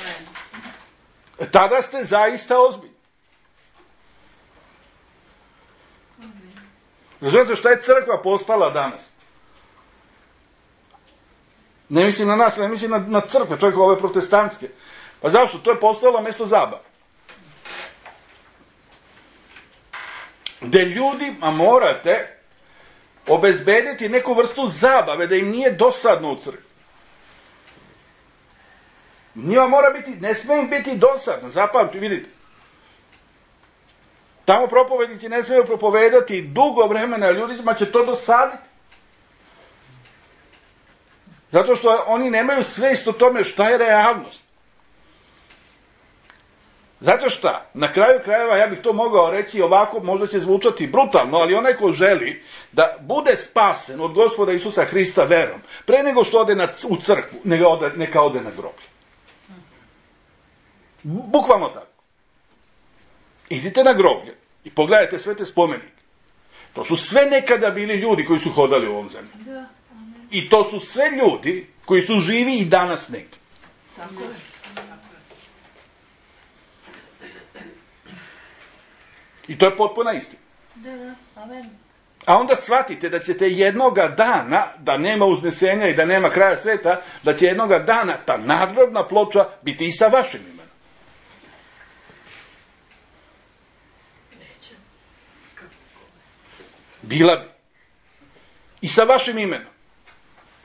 Amen. Tada ste zaista ozbiljni. Razumijete šta je crkva postala danas? Ne mislim na nas, ne mislim na, na crkve, čak ove protestantske. Pa zašto? To je postalo mjesto zabave. Gde ljudima morate obezbediti neku vrstu zabave, da im nije dosadno u crkvi. Njima mora biti, ne smije im biti dosadno, zapamti, vidite. Tamo propovednici ne smiju propovedati dugo vremena, a ljudima će to dosaditi. Zato što oni nemaju svest o tome šta je realnost. Zato šta? Na kraju krajeva, ja bih to mogao reći ovako, možda će zvučati brutalno, ali onaj ko želi da bude spasen od Gospoda Isusa Hrista verom, pre nego što ode na, u crkvu, neka ode, neka ode na groblje. Bukvalno tako. Idite na groblje i pogledajte sve te spomenike. To su sve nekada bili ljudi koji su hodali u ovom zemlji. I to su sve ljudi koji su živi i danas negdje. Tako je. I to je potpuna istina. Da, da, amen. A onda shvatite da ćete jednoga dana, da nema uznesenja i da nema kraja sveta, da će jednoga dana ta nadgrobna ploča biti i sa vašim imenom. Bila bi. I sa vašim imenom.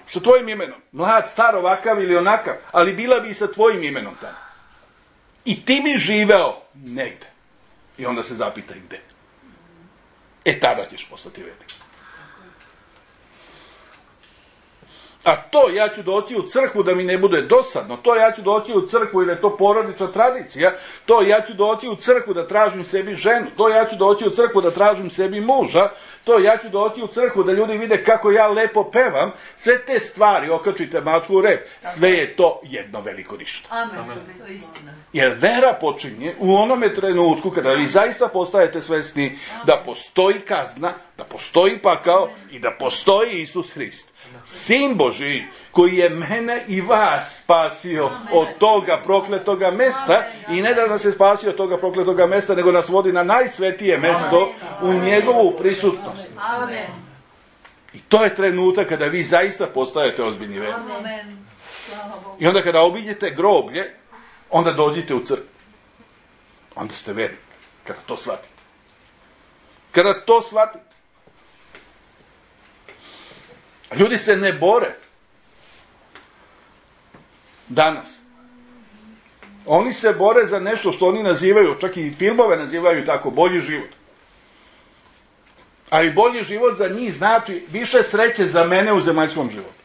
Sa tvojim imenom. Mlad, star, ovakav ili onakav. Ali bila bi i sa tvojim imenom tamo. I ti bi živeo negde. I onda se zapitaj gde. E tada ćeš postati velik. A to ja ću doći u crkvu da mi ne bude dosadno. To ja ću doći u crkvu jer je to porodična tradicija. To ja ću doći u crkvu da tražim sebi ženu. To ja ću doći u crkvu da tražim sebi muža. To ja ću doći u crkvu da ljudi vide kako ja lepo pevam. Sve te stvari, okačite mačku u rep. Sve je to jedno veliko ništa. Amen. Amen. To je istina. Jer vera počinje u onome trenutku kada vi zaista postajete svesni da postoji kazna, da postoji pakao i da postoji Isus Hrist. Sin Božiji koji je mene i vas spasio od toga prokletoga mesta i ne da nas se spasio od toga prokletoga mesta, nego nas vodi na najsvetije mesto u njegovu prisutnost. Amen. I to je trenutak kada vi zaista postajete ozbiljni verni. Amen. Slava Bogu. I onda kada obiđete groblje, onda dođite u crkvu. Onda ste verni. Kada to shvatite. Kada to shvatite. Ljudi se ne bore danas. Oni se bore za nešto što oni nazivaju, čak i filmove nazivaju tako, bolji život. Ali bolji život za njih znači više sreće za mene u zemaljskom životu.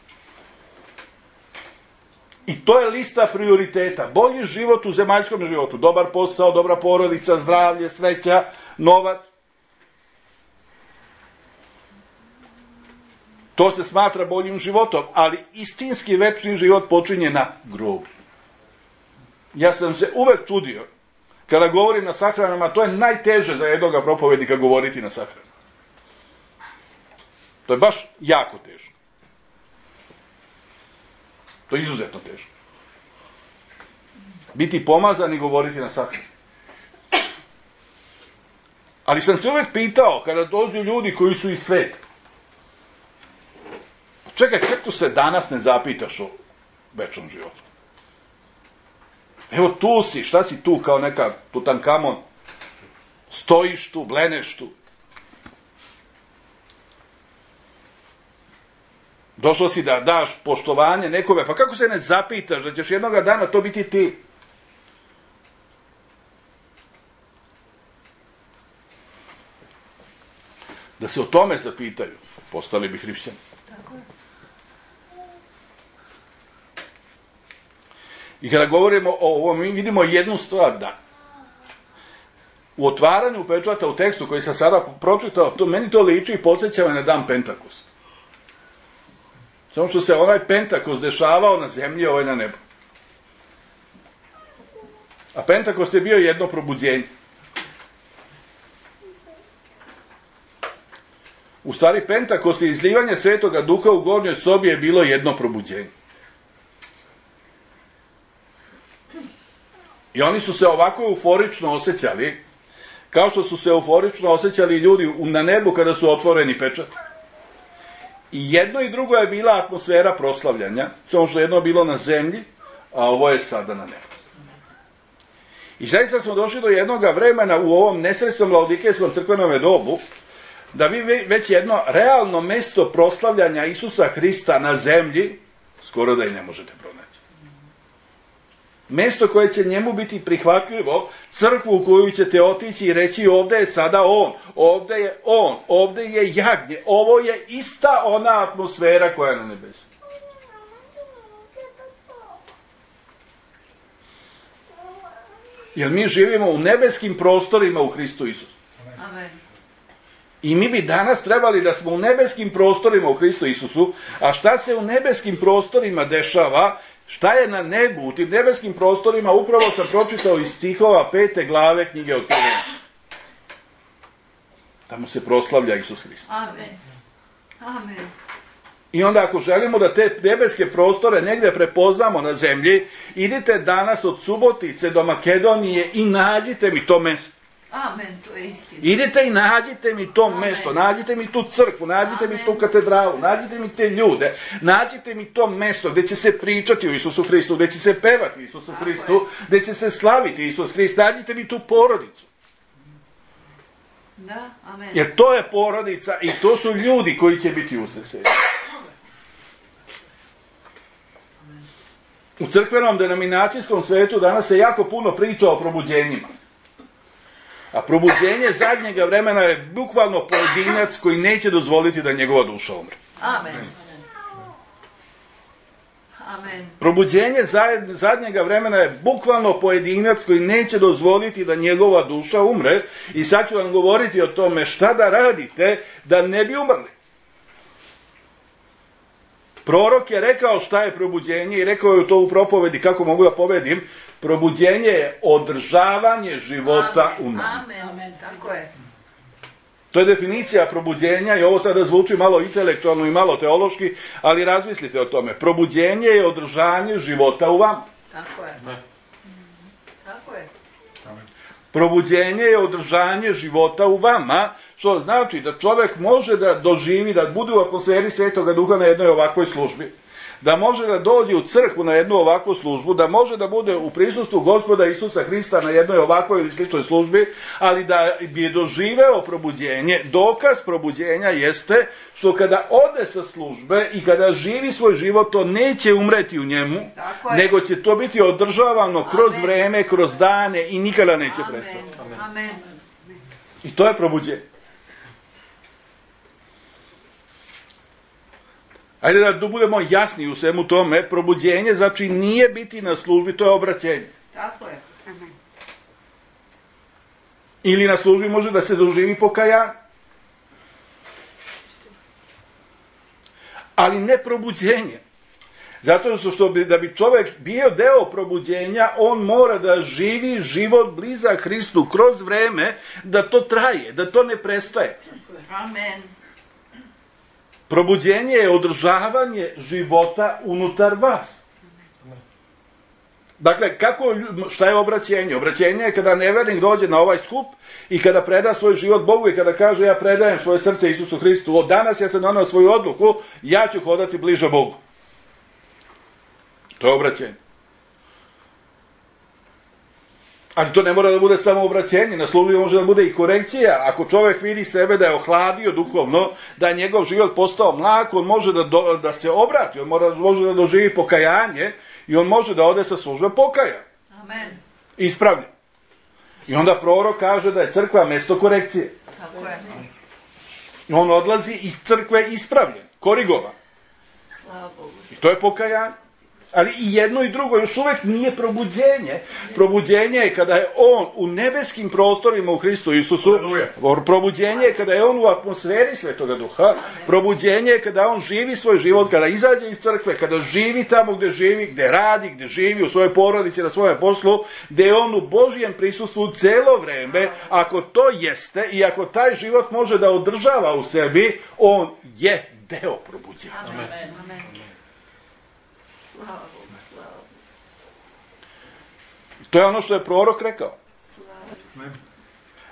I to je lista prioriteta. Bolji život u zemaljskom životu. Dobar posao, dobra porodica, zdravlje, sreća, novac. To se smatra boljim životom, ali istinski večni život počinje na grobu. Ja sam se uvek čudio, kada govorim na sahranama, to je najteže za jednoga propovednika govoriti na sahranama. To je baš jako teško. To je izuzetno teško. Biti pomazan i govoriti na sahranama. Ali sam se uvek pitao, kada dođu ljudi koji su iz sveta, čekaj, kako se danas ne zapitaš o večnom životu? Evo tu si, šta si tu kao neka Tutankamon? Stojiš tu, bleneš tu. Došao si da daš poštovanje nekome, pa kako se ne zapitaš da ćeš jednoga dana to biti ti? Da se o tome zapitaju, postali bi hrišćani. I kada govorimo o ovom, mi vidimo jednu stvar, da u otvaranju pečata u tekstu koji sam sada pročitao, to meni to liči i podsjeća me na dan Pentakost. Samo što se onaj Pentakost dešavao na zemlji, ovaj na nebu. A Pentakost je bio jedno probuđenje. U stvari, Pentakost i izlivanje Svetoga Duha u gornjoj sobi je bilo jedno probuđenje. I oni su se ovako euforično osjećali, kao što su se euforično osjećali ljudi na nebu kada su otvoreni pečati. I jedno i drugo je bila atmosfera proslavljanja, samo što jedno je bilo na zemlji, a ovo je sada na nebu. I zaista smo došli do jednoga vremena u ovom nesrećnom laodikejskom crkvenom dobu, da vi već jedno realno mesto proslavljanja Isusa Hrista na zemlji, skoro da i ne možete pronaći. Mesto koje će njemu biti prihvatljivo, crkvu u koju ćete otići i reći ovde je sada on, ovde je on, ovde je jagnje, ovo je ista ona atmosfera koja je na nebesu. Jer mi živimo u nebeskim prostorima u Hristu Isusu. Amen. I mi bi danas trebali da smo u nebeskim prostorima u Hristu Isusu, a šta se u nebeskim prostorima dešava, šta je na nebu, u tim nebeskim prostorima, upravo sam pročitao iz stihova pete glave knjige Otkrivenja. Tamo se proslavlja Isus Hrist. Amen. Amen. I onda ako želimo da te nebeske prostore negdje prepoznamo na zemlji, idite danas od Subotice do Makedonije i nađite mi to mesto. Amen, to je istina. Idite i nađite mi to Amen. mesto, nađite mi tu crkvu, nađite Amen. mi tu katedralu, nađite mi te ljude, nađite mi to mesto gdje će se pričati o Isusu Hristu, gdje će se pevati o Isusu Tako Hristu, je. gdje će se slaviti Isus Hrist, nađite mi tu porodicu. Da, amen. Jer to je porodica i to su ljudi koji će biti usrećeni. U crkvenom denominacijskom svetu danas se jako puno priča o probuđenjima. A probuđenje zadnjega vremena je bukvalno pojedinac koji neće dozvoliti da njegova duša umre. Amen. Amen. Probuđenje zadnjega vremena je bukvalno pojedinac koji neće dozvoliti da njegova duša umre. I sad ću vam govoriti o tome šta da radite da ne bi umrli. Prorok je rekao šta je probuđenje i rekao je to u propovedi kako mogu da povedim. Probuđenje je održavanje života Amen. u nama. Amen. Amen. Tako je. To je definicija probuđenja i ovo sada zvuči malo intelektualno i malo teološki, ali razmislite o tome. Probuđenje je održanje života u vama. Tako je. Tako je. Probuđenje je održanje života u vama, što znači da čovjek može da doživi, da bude u atmosferi Svetoga Duha na jednoj ovakvoj službi, da može da dođe u crkvu na jednu ovakvu službu, da može da bude u prisustvu Gospoda Isusa Hrista na jednoj ovakvoj ili sličnoj službi, ali da bi doživeo probuđenje. Dokaz probuđenja jeste što kada ode sa službe i kada živi svoj život, to neće umreti u njemu, nego će to biti održavano kroz Amen. vreme, kroz dane i nikada neće Amen. prestati. Amen. I to je probuđenje. Ajde da budemo jasni u svemu tome, probuđenje znači nije biti na službi, to je obraćenje. Tako je. Ili na službi može da se doživi pokajanje. ali ne probuđenje. Zato što bi, da bi čovjek bio deo probuđenja, on mora da živi život blizak Hristu kroz vreme, da to traje, da to ne prestaje. Amen. Probuđenje je održavanje života unutar vas. Dakle, kako, šta je obraćenje? Obraćenje je kada nevernik dođe na ovaj skup i kada preda svoj život Bogu i kada kaže ja predajem svoje srce Isusu Hristu, od danas ja sam donao svoju odluku, ja ću hodati bliže Bogu. To je obraćenje. Ali to ne mora da bude samo obraćenje, na službi može da bude i korekcija. Ako čovjek vidi sebe da je ohladio duhovno, da je njegov život postao mlak, on može da, do, da se obrati, on mora, može da doživi pokajanje i on može da ode sa službe pokaja. Amen. Ispravlja. I onda prorok kaže da je crkva mjesto korekcije. Tako je. On odlazi iz crkve ispravljen, korigovan. Slava Bogu. I to je pokajanje. Ali i jedno i drugo još uvijek nije probuđenje. Probuđenje je kada je on u nebeskim prostorima u Hristu Isusu. Probuđenje je kada je on u atmosferi Svetoga Duha. Probuđenje je kada on živi svoj život, kada izađe iz crkve, kada živi tamo gdje živi, gdje radi, gdje živi u svojoj porodici, na svojem poslu, gdje je on u Božijem prisustvu cijelo vrijeme. Ako to jeste i ako taj život može da održava u sebi, on je deo probuđenja. Amen. Amen. Slava Bogu, slava Bogu. To je ono što je prorok rekao. Slava.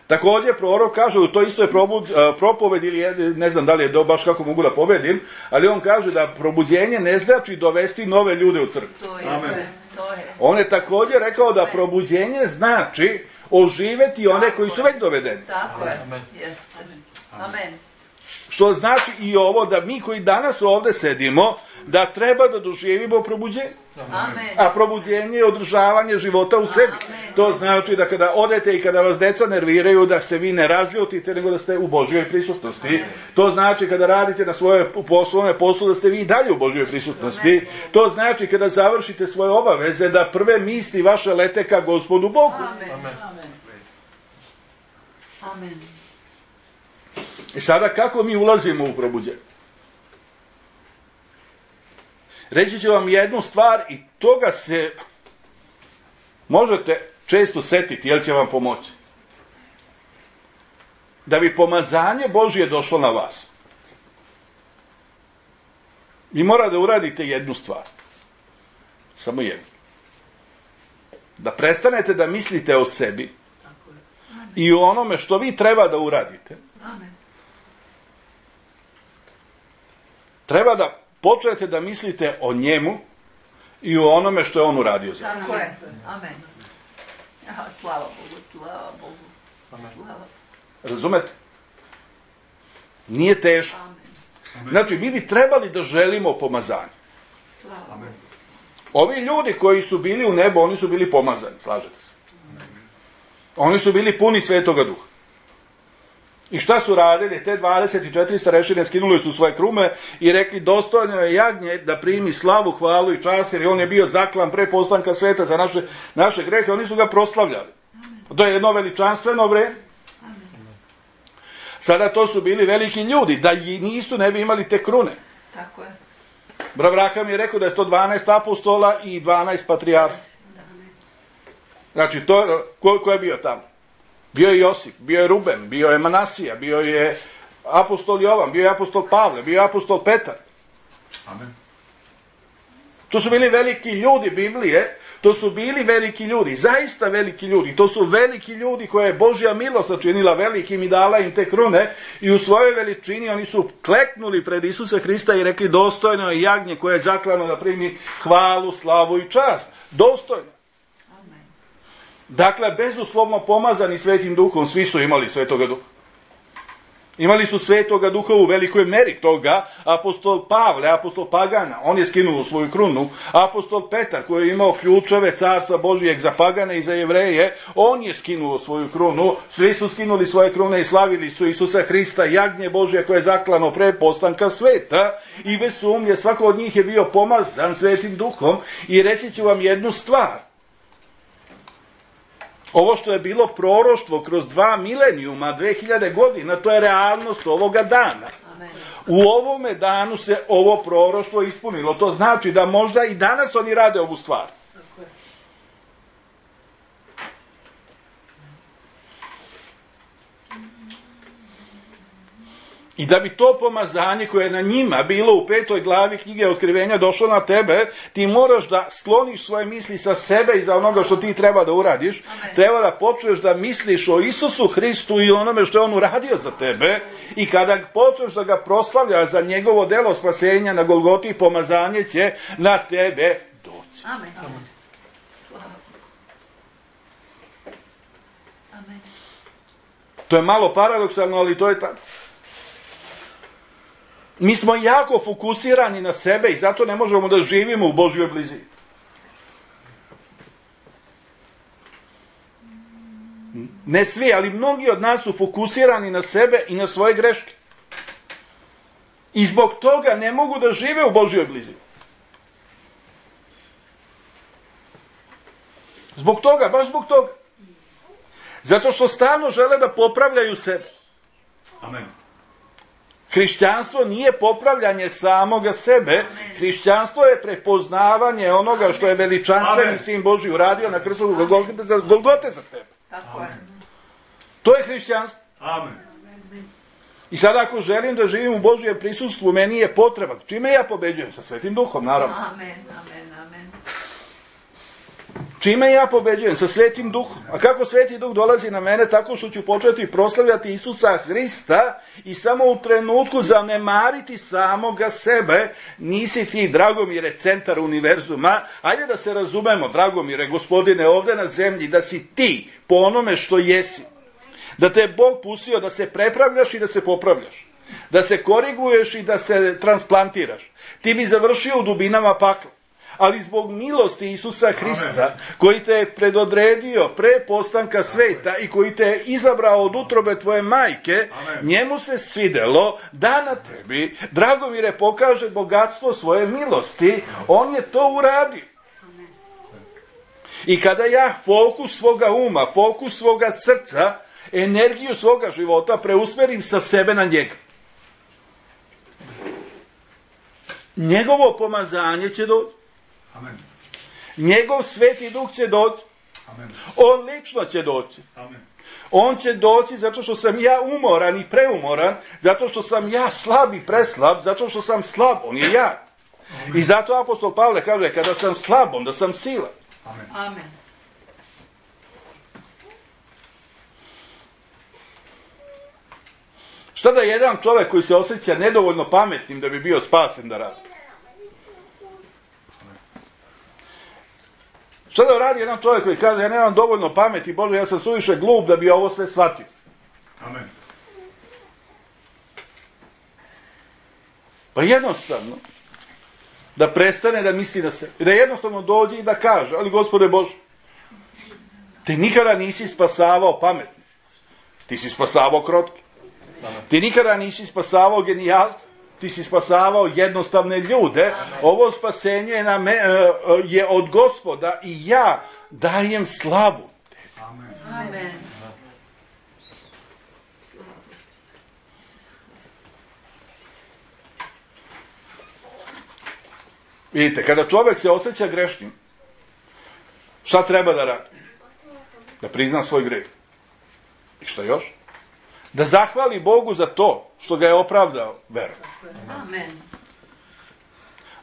Također prorok kaže, u to isto je probud, propoved ili je, ne znam da li je to baš kako mogu da povedim, ali on kaže da probuđenje ne znači dovesti nove ljude u crkvu. To je sve, to je. On je također rekao da probuđenje znači oživeti one koji su već dovedeni. Tako je, jeste. Amen. Što znači i ovo da mi koji danas ovdje sedimo, da treba da doživimo probuđenje. Amen. A probuđenje je održavanje života u sebi. Amen. To znači da kada odete i kada vas deca nerviraju, da se vi ne razljutite, nego da ste u Božjoj prisutnosti. Amen. To znači kada radite na svoje poslovne poslu, da ste vi i dalje u Božjoj prisutnosti. Amen. To znači kada završite svoje obaveze, da prve misli vaše lete ka Gospodu Bogu. Amen. Amen. Amen. I sada kako mi ulazimo u probuđenje? Reći ću vam jednu stvar i toga se možete često setiti, jer će vam pomoći. Da bi pomazanje Božje došlo na vas, vi morate da uradite jednu stvar. Samo jednu. Da prestanete da mislite o sebi i o onome što vi treba da uradite. Amen. Treba da počnete da mislite o njemu i o onome što je on uradio za vas. Tako je. Amen. Ja, slava Bogu, slava Bogu. Slava. Razumete? Nije teško. Amen. Znači, mi bi trebali da želimo pomazanje. Slava Bogu. Ovi ljudi koji su bili u nebu, oni su bili pomazani, slažete se? Oni su bili puni Svetoga Duha. I šta su radili? Te dvadeset četiri starešine skinuli su svoje krume i rekli dostojno je jagnje da primi slavu, hvalu i čast, jer on je bio zaklan pre postanka sveta za naše, naše grehe, oni su ga proslavljali. To je jedno veličanstveno vreme. Sada to su bili veliki ljudi, da i nisu, ne bi imali te krune. Tako je. Abraham je rekao da je to dvanaest apostola i dvanaest patrijarha. Znači, to, ko, ko je bio tamo? Bio je Josip, bio je Ruben, bio je Manasija, bio je apostol Jovan, bio je apostol Pavle, bio je apostol Petar. Amen. To su bili veliki ljudi Biblije, to su bili veliki ljudi, zaista veliki ljudi. To su veliki ljudi koje je Božja milost sačinila velikim i dala im te krune i u svojoj veličini oni su kleknuli pred Isusa Hrista i rekli dostojno je jagnje koje je zaklano da primi hvalu, slavu i čast. Dostojno. Dakle, bezuslovno pomazani Svetim Duhom, svi su imali Svetoga Duha. Imali su Svetoga Duha u velikoj meri toga. Apostol Pavle, apostol Pagana, on je skinuo svoju krunu. Apostol Petar, koji je imao ključeve carstva Božijeg za Pagane i za Jevreje, on je skinuo svoju krunu. Svi su skinuli svoje krune i slavili su Isusa Hrista, jagnje Božje koje je zaklano pre postanka sveta. I bez sumnje, svako od njih je bio pomazan Svetim Duhom. I reći ću vam jednu stvar. Ovo što je bilo proroštvo kroz dva milenijuma, dve hiljade godina, to je realnost ovoga dana. Amen. U ovome danu se ovo proroštvo ispunilo. To znači da možda i danas oni rade ovu stvar. I da bi to pomazanje koje je na njima bilo u petoj glavi knjige Otkrivenja došlo na tebe, ti moraš da skloniš svoje misli sa sebe i za onoga što ti treba da uradiš. Amen. Treba da počneš da misliš o Isusu Hristu i onome što je on uradio za tebe. I kada počneš da ga proslavljaš za njegovo delo spasenja na Golgoti, pomazanje će na tebe doći. Amen. Amen. Slava. Amen. To je malo paradoksalno, ali to je tako. Mi smo jako fokusirani na sebe i zato ne možemo da živimo u Božjoj blizini. Ne svi, ali mnogi od nas su fokusirani na sebe i na svoje greške. I zbog toga ne mogu da žive u Božjoj blizini. Zbog toga, baš zbog toga. Zato što stalno žele da popravljaju sebe. Amen. Hrišćanstvo nije popravljanje samoga sebe. Amen. Hrišćanstvo je prepoznavanje onoga što je veličanstveni Sin Božji uradio na krstu Golgote za, Golgote za tebe. Tako je. To je hrišćanstvo. Amen. I sad ako želim da živim u Božjem prisustvu, meni je potreba. Čime ja pobeđujem? Sa Svetim Duhom, naravno. Amen, amen, amen. Čime ja pobeđujem? Sa Svetim Duhom. A kako Sveti Duh dolazi na mene? Tako što ću početi proslavljati Isusa Hrista i samo u trenutku zanemariti samoga sebe. Nisi ti, Dragomire, centar univerzuma. Ajde da se razumemo, Dragomire, Gospodine, ovdje na zemlji, da si ti po onome što jesi. Da te je Bog pustio da se prepravljaš i da se popravljaš. Da se koriguješ i da se transplantiraš. Ti bi završio u dubinama pakla. Ali zbog milosti Isusa Hrista, Amen. Koji te je predodredio pre postanka sveta i koji te je izabrao od utrobe tvoje majke, Amen. Njemu se svidelo da na tebi, Dragomire, pokaže bogatstvo svoje milosti. On je to uradio. I kada ja fokus svoga uma, fokus svoga srca, energiju svoga života preusmerim sa sebe na njega, njegovo pomazanje će doći. Amen. Njegov Sveti Duh će doći. Amen. On lično će doći. Amen. On će doći zato što sam ja umoran i preumoran, zato što sam ja slab i preslab, zato što sam slab, on je ja. Amen. I zato apostol Pavle kaže, kada sam slab, onda sam silan. Amen. Amen. Šta da jedan čovjek koji se osjeća nedovoljno pametnim da bi bio spasen da radi? Šta da radi jedan čovjek koji kaže, ja nemam dovoljno pameti, Bože, ja sam suviše glup da bi ovo sve shvatio? Amen. Pa jednostavno, da prestane da misli na sebe. I da jednostavno dođe i da kaže, ali Gospode Bože, ti nikada nisi spasavao pametni. Ti si spasavao krotki. Ti nikada nisi spasavao genijalce. Ti si spasavao jednostavne ljude. Amen. Ovo spasenje je, na me, je od Gospoda i ja dajem slavu. Amen. Amen. Vidite, kada čovjek se osjeća grešnim, šta treba da radi? Da prizna svoj greh. I šta još? Da zahvali Bogu za to što ga je opravdao verom. Amen.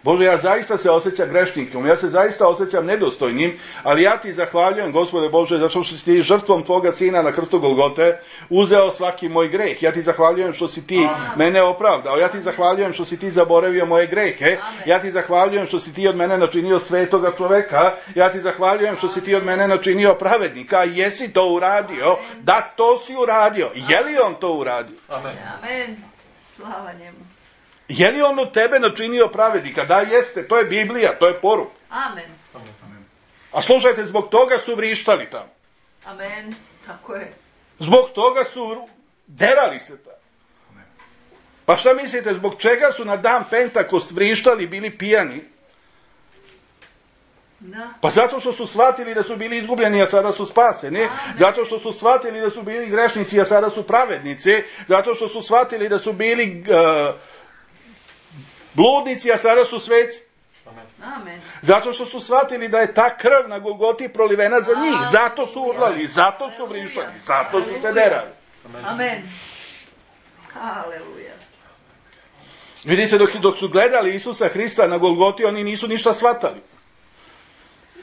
Bože, ja zaista se osjećam grešnikom, ja se zaista osjećam nedostojnim, ali ja ti zahvaljujem, Gospode Bože, zato što si ti žrtvom tvoga Sina na krstu Golgote uzeo svaki moj greh. Ja ti zahvaljujem što si ti Amen. Mene opravdao, ja ti zahvaljujem što si ti zaboravio moje grehe, Amen. Ja ti zahvaljujem što si ti od mene načinio svetoga čoveka, ja ti zahvaljujem što si ti od mene načinio pravednika, jesi to uradio, da, to si uradio. Je li on to uradio? Amen. Amen. Slava njemu. Je li on od tebe načinio pravednika? Da, jeste, to je Biblija, to je poruka. Amen. A slušajte, zbog toga su vrištali tamo. Amen. Tako je. Zbog toga su derali se tamo. Pa šta mislite, zbog čega su na dan Pentakost vrištali, bili pijani? Da. Pa zato što su shvatili da su bili izgubljeni, a sada su spaseni. Zato što su shvatili da su bili grešnici, a sada su pravednici. Zato što su shvatili da su bili uh, bludnici, a sada su sveci. Amen. Zato što su shvatili da je ta krv na Golgoti prolivena za njih. Zato su urlali, zato su vrištali, zato su se derali. Amen. Haleluja. Vidite, dok, dok su gledali Isusa Hrista na Golgoti, oni nisu ništa shvatali.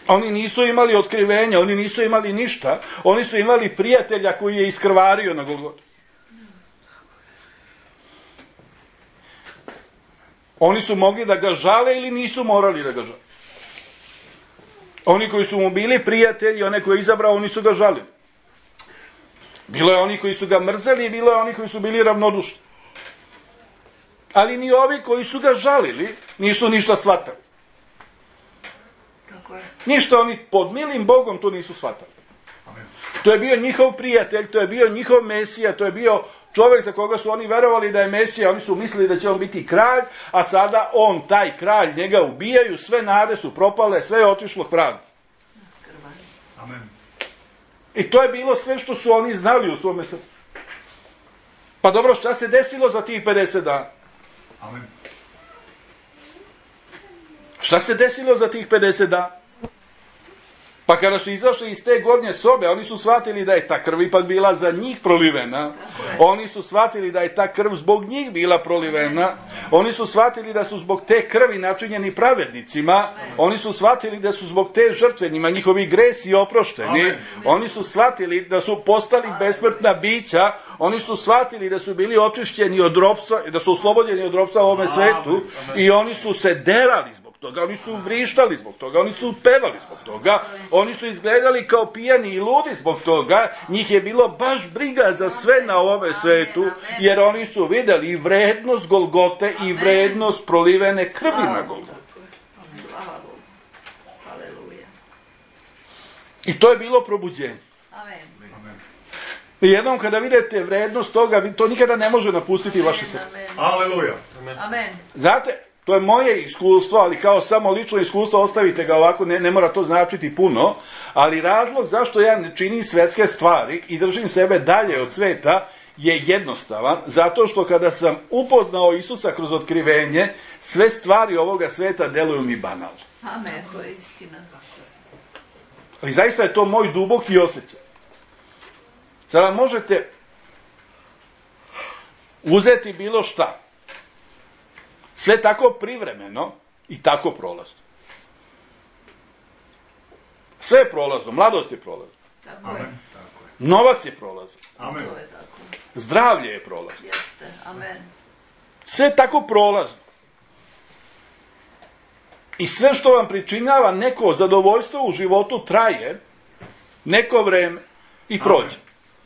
Oni nisu imali otkrivenja, oni nisu imali ništa. Oni su imali prijatelja koji je iskrvario na Golgoti. Oni su mogli da ga žale ili nisu morali da ga žale. Oni koji su mu bili prijatelji, one koje je izabrao, oni su ga žalili. Bilo je oni koji su ga mrzeli, bilo je oni koji su bili ravnodušni. Ali ni ovi koji su ga žalili nisu ništa shvatali. Tako je. Ništa, oni pod milim Bogom to nisu shvatali. To je bio njihov prijatelj, to je bio njihov Mesija, to je bio čovjek za koga su oni verovali da je Mesija, oni su mislili da će on biti kralj, a sada on, taj kralj, njega ubijaju, sve nade su propale, sve je otišlo k vragu. Amen. I to je bilo sve što su oni znali u svome srcu. Pa dobro, šta se desilo za tih pedeset dana? Amen. Šta se desilo za tih pedeset dana? Pa kada su izašli iz te gornje sobe, oni su shvatili da je ta krv ipak bila za njih prolivena. Oni su shvatili da je ta krv zbog njih bila prolivena. Oni su shvatili da su zbog te krvi načinjeni pravednicima. Oni su shvatili da su zbog te žrtve njima njihovi gresi oprošteni. Amen. Oni su shvatili da su postali besmrtna bića. Oni su shvatili da su bili očišćeni od ropstva, da su oslobođeni od ropstva u ovome svetu. I oni su se derali zbog toga, oni su vrištali zbog toga, oni su pevali zbog toga, oni su izgledali kao pijani i ludi zbog toga, njih je bilo baš briga za sve na ovome svetu, jer oni su vidjeli i vrednost Golgote i vrednost prolivene krvi na Golgote. Slava Bogu. Haleluja. I to je bilo probuđenje. Amen. I jednom kada vidite vrednost toga, to nikada ne može napustiti vaše srce. Amen. Aleluja. Amen. Znate, to je moje iskustvo, ali kao samo lično iskustvo, ostavite ga ovako, ne, ne mora to značiti puno, ali razlog zašto ja ne činim svetske stvari i držim sebe dalje od sveta je jednostavan, zato što kada sam upoznao Isusa kroz otkrivenje, sve stvari ovoga sveta deluju mi banalno. Amen, to je istina. Ali zaista je to moj duboki osjećaj. Sada možete uzeti bilo šta, sve tako privremeno i tako prolazno. Sve je prolazno, mladost je prolazna, Tako je. Amen. Tako je. novac je prolazan, Amen. To je tako. zdravlje je prolazno. Jeste. Amen. Sve je tako prolazno. I sve što vam pričinjava neko zadovoljstvo u životu traje neko vreme i prođe.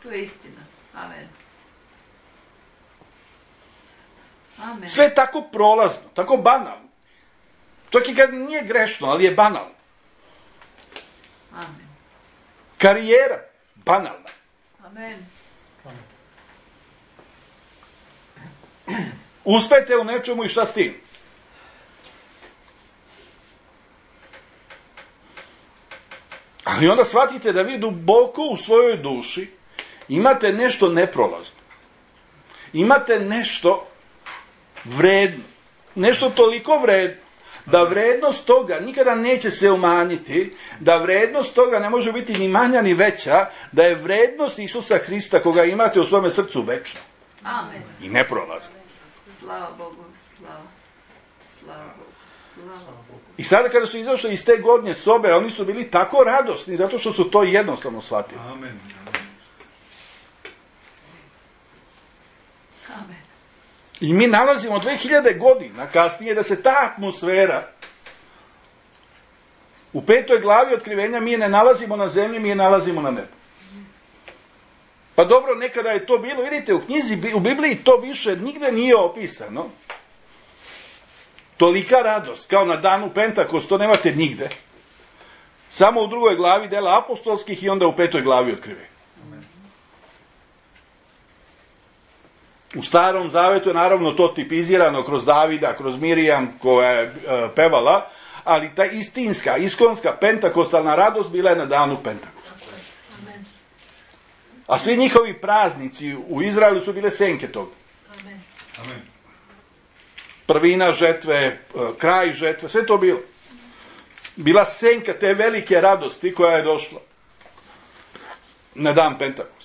To je istina. Amen. Amen. Sve je tako prolazno, tako banalno. Čak i kad nije grešno, ali je banalno. Amen. Karijera, banalna. Amen. Uspete u nečemu i šta s tim? Ali onda shvatite da vi duboko u svojoj duši imate nešto neprolazno. Imate nešto vredno. Nešto toliko vredno da vrednost toga nikada neće se umanjiti, da vrednost toga ne može biti ni manja ni veća, da je vrednost Isusa Hrista koga imate u svome srcu večna Amen. i neprolazna. Slava Bogu. Slava. Slava Bogu. Slava Bogu. I sada kada su izašli iz te gornje sobe, oni su bili tako radosni zato što su to jednostavno shvatili. Amen. Amen. I mi nalazimo dve hiljade godina kasnije da se ta atmosfera u petoj glavi otkrivenja mi je ne nalazimo na zemlji, mi je nalazimo na nebu. Pa dobro, nekada je to bilo, vidite, u knjizi, u Bibliji to više nigde nije opisano. Tolika radost, kao na danu Pentakost, to nemate nigde. Samo u drugoj glavi dela apostolskih i onda u petoj glavi otkrivenja. U Starom Zavetu je naravno to tipizirano kroz Davida, kroz Mirijam koja je e, pevala, ali ta istinska, iskonska, pentakostalna radost bila je na danu Pentakosta. A svi njihovi praznici u Izraelu su bile senke toga. Amen. Prvina žetve, kraj žetve, sve to bilo. Bila senka te velike radosti koja je došla na dan Pentakosta.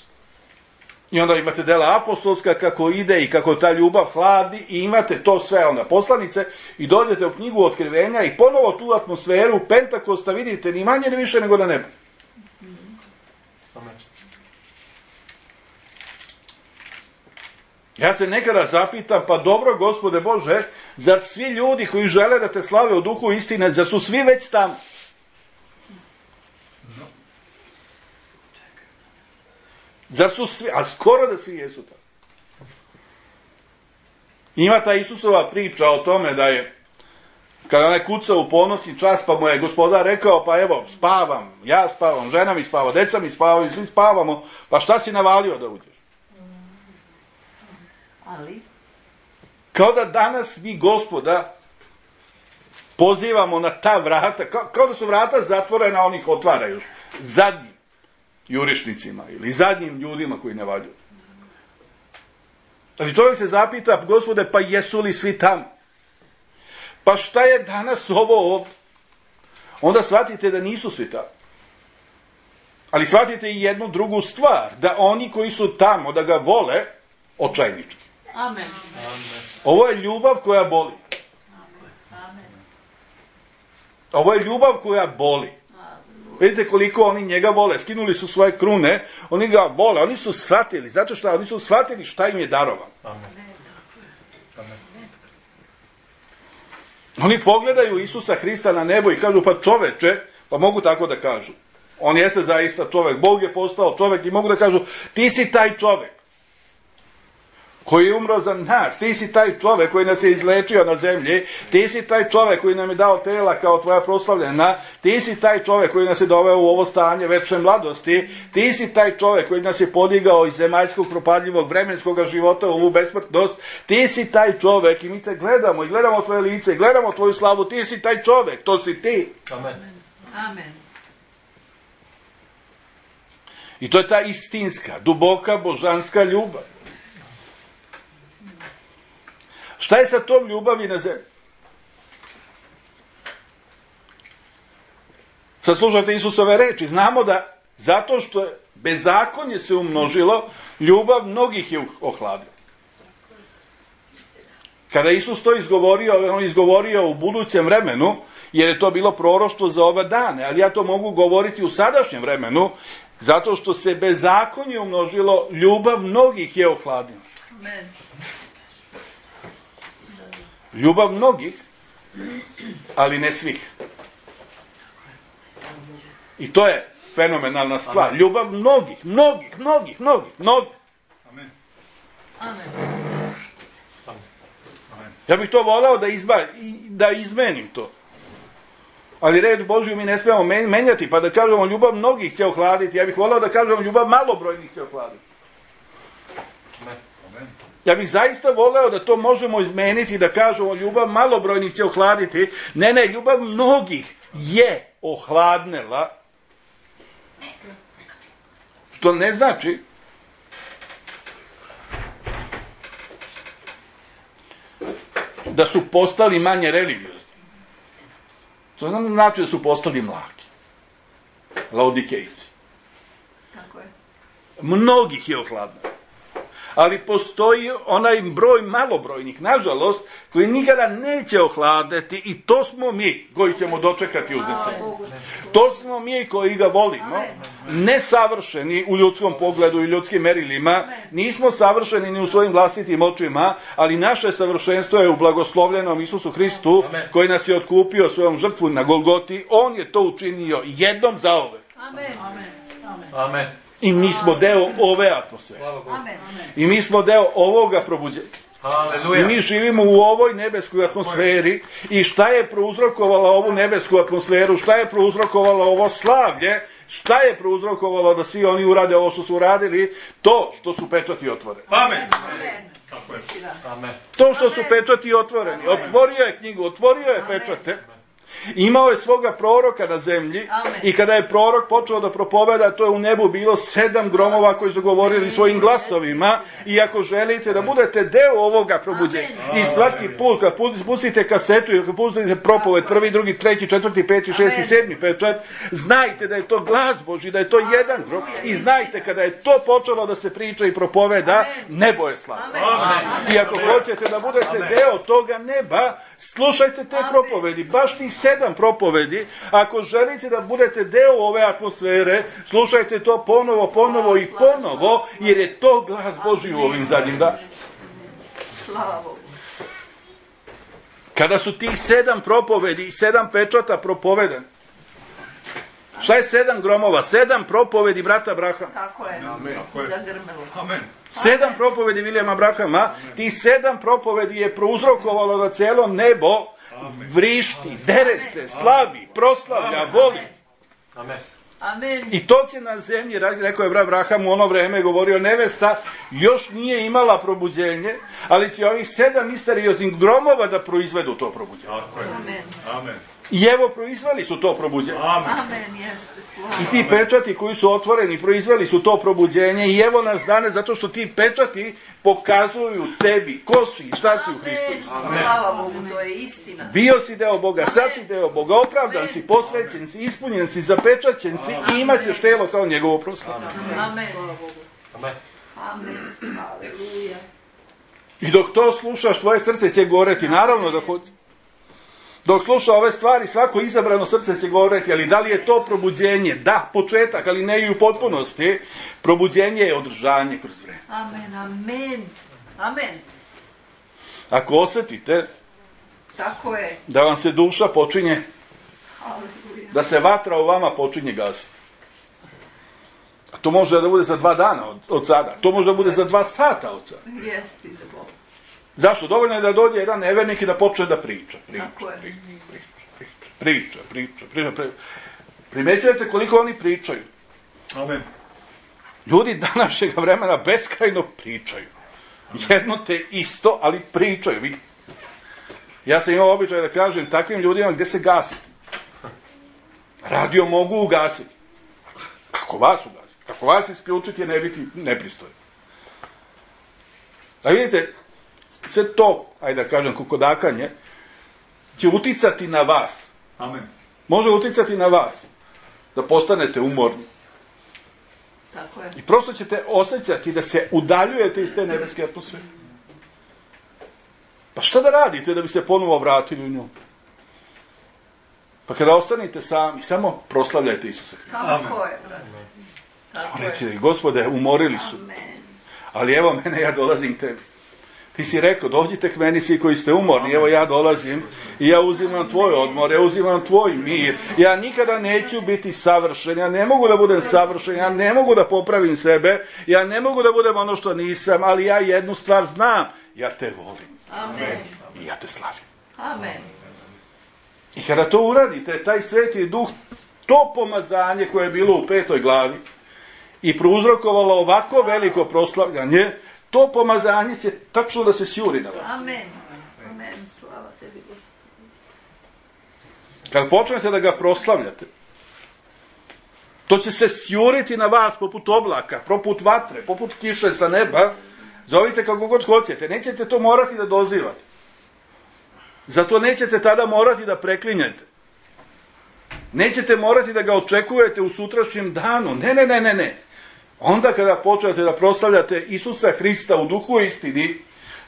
I onda imate dela apostolska kako ide i kako ta ljubav hladi i imate to sve onda poslanice i dođete u knjigu Otkrivenja i ponovo tu atmosferu Pentakosta vidite ni manje ni više nego na nebu. Ja se nekada zapitam, pa dobro, Gospode Bože, zar svi ljudi koji žele da te slave u duhu istine, zar su svi već tamo? Zar su svi, a skoro da svi jesu tamo. Ima ta Isusova priča o tome da je, kada onaj kucao u ponosni čas, pa mu je Gospodar rekao, pa evo, spavam, ja spavam, žena mi spava, deca mi spavaju, svi spavamo, pa šta si navalio da uđeš? Ali? Kao da danas mi Gospoda pozivamo na ta vrata, kao, kao da su vrata zatvorena, on ih otvara još zadnjim jurišnicima ili zadnjim ljudima koji ne valjuju. Ali čovjek se zapita, Gospode, pa jesu li svi tamo? Pa šta je danas ovo ovdje? Onda shvatite da nisu svi tamo. Ali shvatite i jednu drugu stvar, da oni koji su tamo, da ga vole, očajnički. Amen. Ovo je ljubav koja boli. Ovo je ljubav koja boli. Vidite koliko oni njega vole. Skinuli su svoje krune, oni ga vole, oni su shvatili. Zato što oni su shvatili šta im je darovan. Oni pogledaju Isusa Hrista na nebo i kažu, pa čoveče, pa mogu tako da kažu. On jeste zaista čovek. Bog je postao čovek i mogu da kažu, ti si taj čovek koji je umro za nas, ti si taj čovek koji nas je izlečio na zemlji, ti si taj čovek koji nam je dao tela kao tvoja proslavljena, ti si taj čovek koji nas je doveo u ovo stanje večne mladosti, ti si taj čovek koji nas je podigao iz zemaljskog propadljivog vremenskog života u ovu besmrtnost, ti si taj čovek i mi te gledamo i gledamo tvoje lice i gledamo tvoju slavu, ti si taj čovek, to si ti. Amen. Amen. I to je ta istinska, duboka, božanska ljubav. Šta je sa tom ljubavi na zemlji? Sad slušajte Isusove reči. Znamo da zato što je bezakonje se umnožilo, ljubav mnogih je ohladila. Kada Isus to izgovorio, on izgovorio u budućem vremenu, jer je to bilo proroštvo za ove dane, ali ja to mogu govoriti u sadašnjem vremenu, zato što se bezakonje umnožilo, ljubav mnogih je ohladila. Amen. Ljubav mnogih, ali ne svih. I to je fenomenalna stvar. Amen. Ljubav mnogih, mnogih, mnogih, mnogih, mnogih. Amen. Amen. Ja bih to volao da, izba, da izmenim to. Ali reč Božju mi ne smijemo menjati, pa da kažemo ljubav mnogih će ohladiti. Ja bih volao da kažemo ljubav malobrojnih će ohladiti. Amen. Ja bih zaista voleo da to možemo izmeniti i da kažemo ljubav malobrojnih će ohladiti. Ne, ne, ljubav mnogih je ohladnela. To ne znači da su postali manje religiozni. To znači da su postali mlaki. Laodikejci. Tako je. Mnogih je ohladnelo. Ali postoji onaj broj malobrojnih, nažalost, koji nikada neće ohladeti i to smo mi koji ćemo dočekati uznesenje. To smo mi koji ga volimo, nesavršeni u ljudskom pogledu i ljudskim merilima, nismo savršeni ni u svojim vlastitim očima, ali naše savršenstvo je u blagoslovljenom Isusu Hristu, koji nas je otkupio svojom žrtvu na Golgoti. On je to učinio jednom zauvek. Amen. Amen. I mi smo deo ove atmosfere. Amen. I mi smo deo ovoga probuđenja. Haleluja. I mi živimo u ovoj nebeskoj atmosferi. I šta je prouzrokovalo ovu nebesku atmosferu? Šta je prouzrokovalo ovo slavlje? Šta je prouzrokovalo da svi oni urade ovo što su uradili? To što su pečati otvoreni. Amen. Amen. Tako je. Amen. To što su pečati otvoreni. Otvorio je knjigu, otvorio je pečate. Imao je svoga proroka na zemlji. Amen. I kada je prorok počeo da propoveda, to je u nebu bilo sedam gromova koji su govorili svojim glasovima. I ako želite da budete deo ovoga probuđenja, i svaki put kad pustite kasetu i kad pustite propoved, prvi, drugi, treći, četvrti, peti, šesti, sedmi pečat, znajte da je to glas Božji, da je to jedan grom. I znajte kada je to počelo da se priča i propoveda, nebo je slavno. I ako hoćete da budete deo toga neba, slušajte te propovedi, baš tih sedam propovedi. Ako želite da budete deo ove atmosfere, slušajte to ponovo, ponovo i ponovo, jer je to glas Božji u ovim zadnjim danima. Slava Bogu. Kada su tih sedam propovedi i sedam pečata propovedani, šta je sedam gromova? Sedam propovedi brata Abrahama. Tako je. Zagrmelo. Amen. Sedam propovedi Vilijama Abrahama, ti sedam propovedi je prouzrokovalo da celo nebo vrišti, dere se, slavi, proslavlja, voli. Amen. Amen. I to će na zemlji, rekao je brat Abraham u ono vreme, govorio, nevesta još nije imala probuđenje, ali će ovih sedam misterioznih gromova da proizvedu to probuđenje. Amen. Amen. I evo, proizveli su to probuđenje. Amen, jeste, slava. I ti pečati koji su otvoreni, proizveli su to probuđenje i evo nas danas, zato što ti pečati pokazuju tebi ko si i šta si u Hristu. Amen, slava Bogu, to je istina. Bio si deo Boga, sad si deo Boga, opravdan si, posvećen si, ispunjen si, zapečaćen si i imat ćeš telo kao njegovo proslavlje. Amen. Amen. Amen. Aleluja. I dok to slušaš, tvoje srce će goreti, naravno da hoće. Dok sluša ove stvari, svako izabrano srce će goreti, ali da li je to probuđenje? Da, početak, ali ne i u potpunosti. Probuđenje je održanje kroz vreme. Amen, amen. Amen. Ako osjetite Tako je. da vam se duša počinje, Aleluja. da se vatra u vama počinje gasiti. A to može da bude za dva dana od, od sada. To može da bude za dva sata od sada. Jeste za Boga. Zašto? Dovoljno je da dođe jedan nevernik i da počne da priča. Priča, Tako je. priča, priča, priča, priča, priča, priča. Primećujete koliko oni pričaju? Amen. Ljudi današnjeg vremena beskrajno pričaju. Jedno te isto, ali pričaju. Vi- Ja sam imao običaj da kažem takvim ljudima gdje se gasi. Radio mogu ugasiti. Kako vas ugasiti? Kako vas isključiti je ne biti nepristojno. A vidite, sve to, ajde da kažem, kukodakanje, će uticati na vas. Amen. Može uticati na vas. Da postanete umorni. Tako je. I prosto ćete osjećati da se udaljujete iz te nebeske atmosfere. Pa šta da radite da bi se ponovo vratili u nju? Pa kada ostanete sami, samo proslavljajte Isusa Hrista. Tako je, brate. Tako je. Recite, Gospode, umorili su. Amen. Ali evo mene, ja dolazim tebi. Ti si rekao, dođite k meni svi koji ste umorni, evo ja dolazim i ja uzimam tvoj odmor, ja uzimam tvoj mir. Ja nikada neću biti savršen, ja ne mogu da budem savršen, ja ne mogu da popravim sebe, ja ne mogu da budem ono što nisam, ali ja jednu stvar znam, ja te volim Amen. i ja te slavim. Amen. I kada to uradite, taj Sveti Duh, to pomazanje koje je bilo u petoj glavi i prouzrokovalo ovako veliko proslavljanje, to pomazanje će tačno da se sjuri na vas. Amen. Amen. Slava tebi, Gospod. Kad počnete da ga proslavljate, to će se sjuriti na vas poput oblaka, poput vatre, poput kiše sa neba. Zovite kako god hoćete. Nećete to morati da dozivate. Zato nećete tada morati da preklinjete. Nećete morati da ga očekujete u sutrašnjem danu. Ne, ne, ne, ne, ne. Onda kada počnete da proslavljate Isusa Hrista u duhu i istini,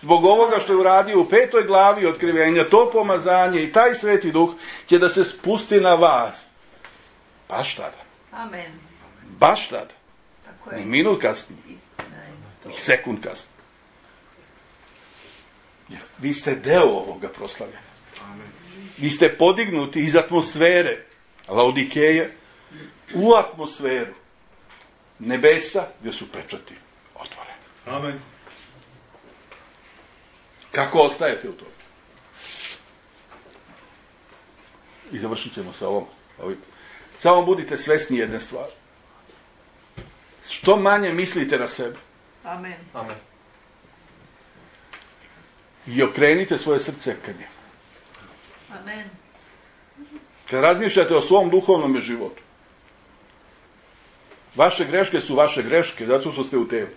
zbog ovoga što je uradio u petoj glavi otkrivenja, to pomazanje i taj Sveti Duh će da se spusti na vas. Baš tada. Amen. Baš tada. Tako Ni je. minut kasnije. Istina je to. Ni sekund kasnije. Jer vi ste deo ovoga proslavljanja. Vi ste podignuti iz atmosfere Laodikeje u atmosferu nebesa gdje su pečati otvoreni. Amen. Kako ostajete u tome? I završit ćemo sa ovom. ovim. Samo budite svesni jedne stvari. Što manje mislite na sebe Amen. Amen. i okrenite svoje srce ka njemu. Amen. Kad razmišljate o svom duhovnom životu, vaše greške su vaše greške, zato što ste u telu.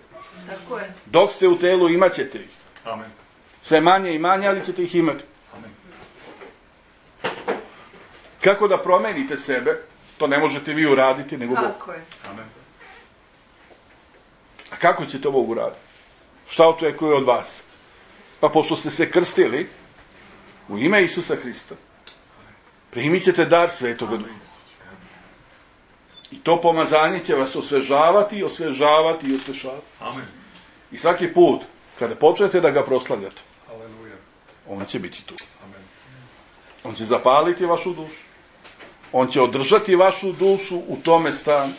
Tako je. Dok ste u telu, imat ćete ih. Amen. Sve manje i manje, ali ćete ih imati. Amen. Kako da promenite sebe, to ne možete vi uraditi, nego Bog. Tako je. Amen. A kako ćete ovo uraditi? Šta očekuje od vas? Pa pošto ste se krstili u ime Isusa Hrista, primit ćete dar Svetoga Duha. I to pomazanje će vas osvežavati, osvežavati i osvežavati. Amen. I svaki put, kada počnete da ga proslavljate, Aleluja. on će biti tu. Amen. On će zapaliti vašu dušu. On će održati vašu dušu u tome stanju.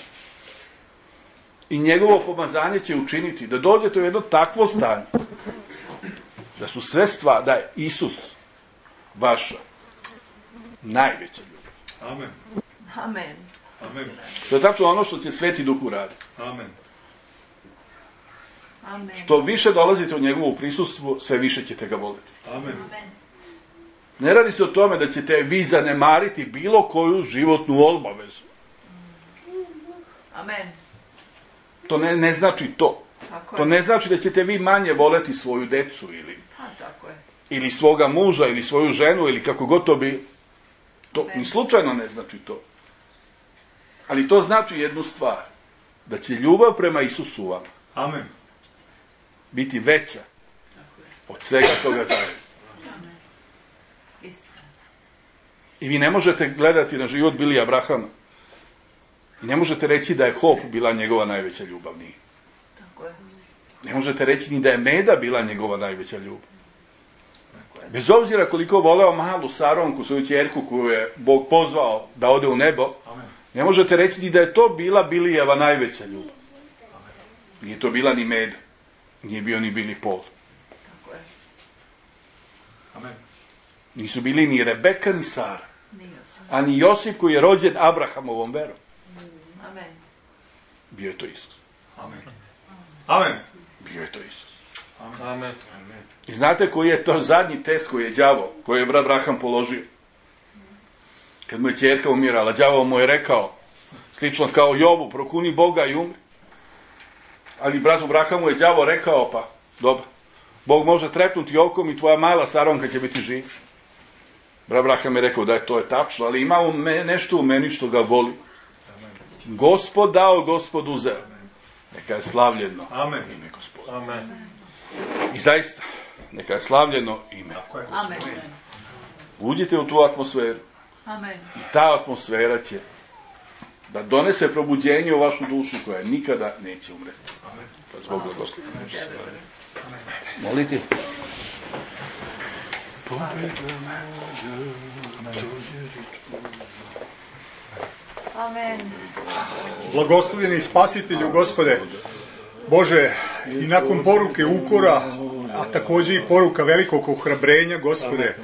I njegovo pomazanje će učiniti da dođete u jedno takvo stanje. Da su sve stvari, da je Isus vaša najveća ljubav. Amen. Amen. Amen. To je tačno ono što će Sveti Duh uraditi. Amen. Amen. Što više dolazite u njegovu prisustvu, sve više ćete ga voliti. Amen. Ne radi se o tome da ćete vi zanemariti bilo koju životnu obavezu. Amen. To ne, ne znači to. Tako To je. ne znači da ćete vi manje voleti svoju decu ili, A, tako je. ili svoga muža ili svoju ženu ili kako god to bi. To ni slučajno ne znači to. Ali to znači jednu stvar. Da će ljubav prema Isusu vam Amen. biti veća od svega toga zajedno. Istina. I vi ne možete gledati na život Billy Abrahama. I ne možete reći da je Hop bila njegova najveća ljubav. Nije. Tako je. Ne možete reći ni da je Meda bila njegova najveća ljubav. Bez obzira koliko voleo malu Saronku, svoju ćerku koju je Bog pozvao da ode u nebo, Amen. ne možete reći ni da je to bila Bilijeva najveća ljubav. Nije to bila ni Meda. Nije bio ni Billy Paul. Tako je. Amen. Nisu bili ni Rebeka ni Sara. Nije. A ni Josip koji je rođen Abrahamovom verom. Amen. Bio je to Isus. Amen. Amen. Bio je to Isus. Amen. I znate koji je to zadnji test koji je đavo, koji je brat Abraham položio? Kad mu je ćerka umirala, đavo mu je rekao, slično kao Jobu, prokuni Boga i umri. Ali bratu Abrahamu je đavo rekao, pa dobro, Bog može trepnuti okom i tvoja mala Saronka će biti živa. Brat Abraham je rekao da je to je tačno, ali ima u me, nešto u meni što ga voli. Gospod dao, Gospod uzeo. Neka je slavljeno Amen. ime Gospoda. Amen. I zaista, neka je slavljeno ime. Tako je. Amen. Uđite u tu atmosferu. Amen. I ta atmosfera će da donese probuđenje u vašu dušu koja nikada neće umreti. Pa zbog blagoslova. Molite. Amen. Blagoslovljeni spasitelju, Gospode, Bože, i nakon poruke ukora, a također i poruka velikog ohrabrenja, Gospode,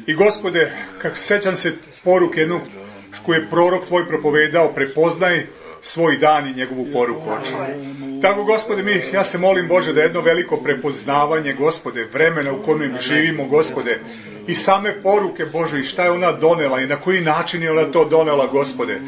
i Gospode, kako sećam se poruke jednog koju je prorok Tvoj propovedao, prepoznaj svoj dan i njegovu poruku, Oče. Tako, Gospode, mi, ja se molim, Bože, da jedno veliko prepoznavanje, Gospode, vremena u kojem živimo, Gospode, i same poruke, Bože, i šta je ona donela i na koji način je ona to donela, Gospode,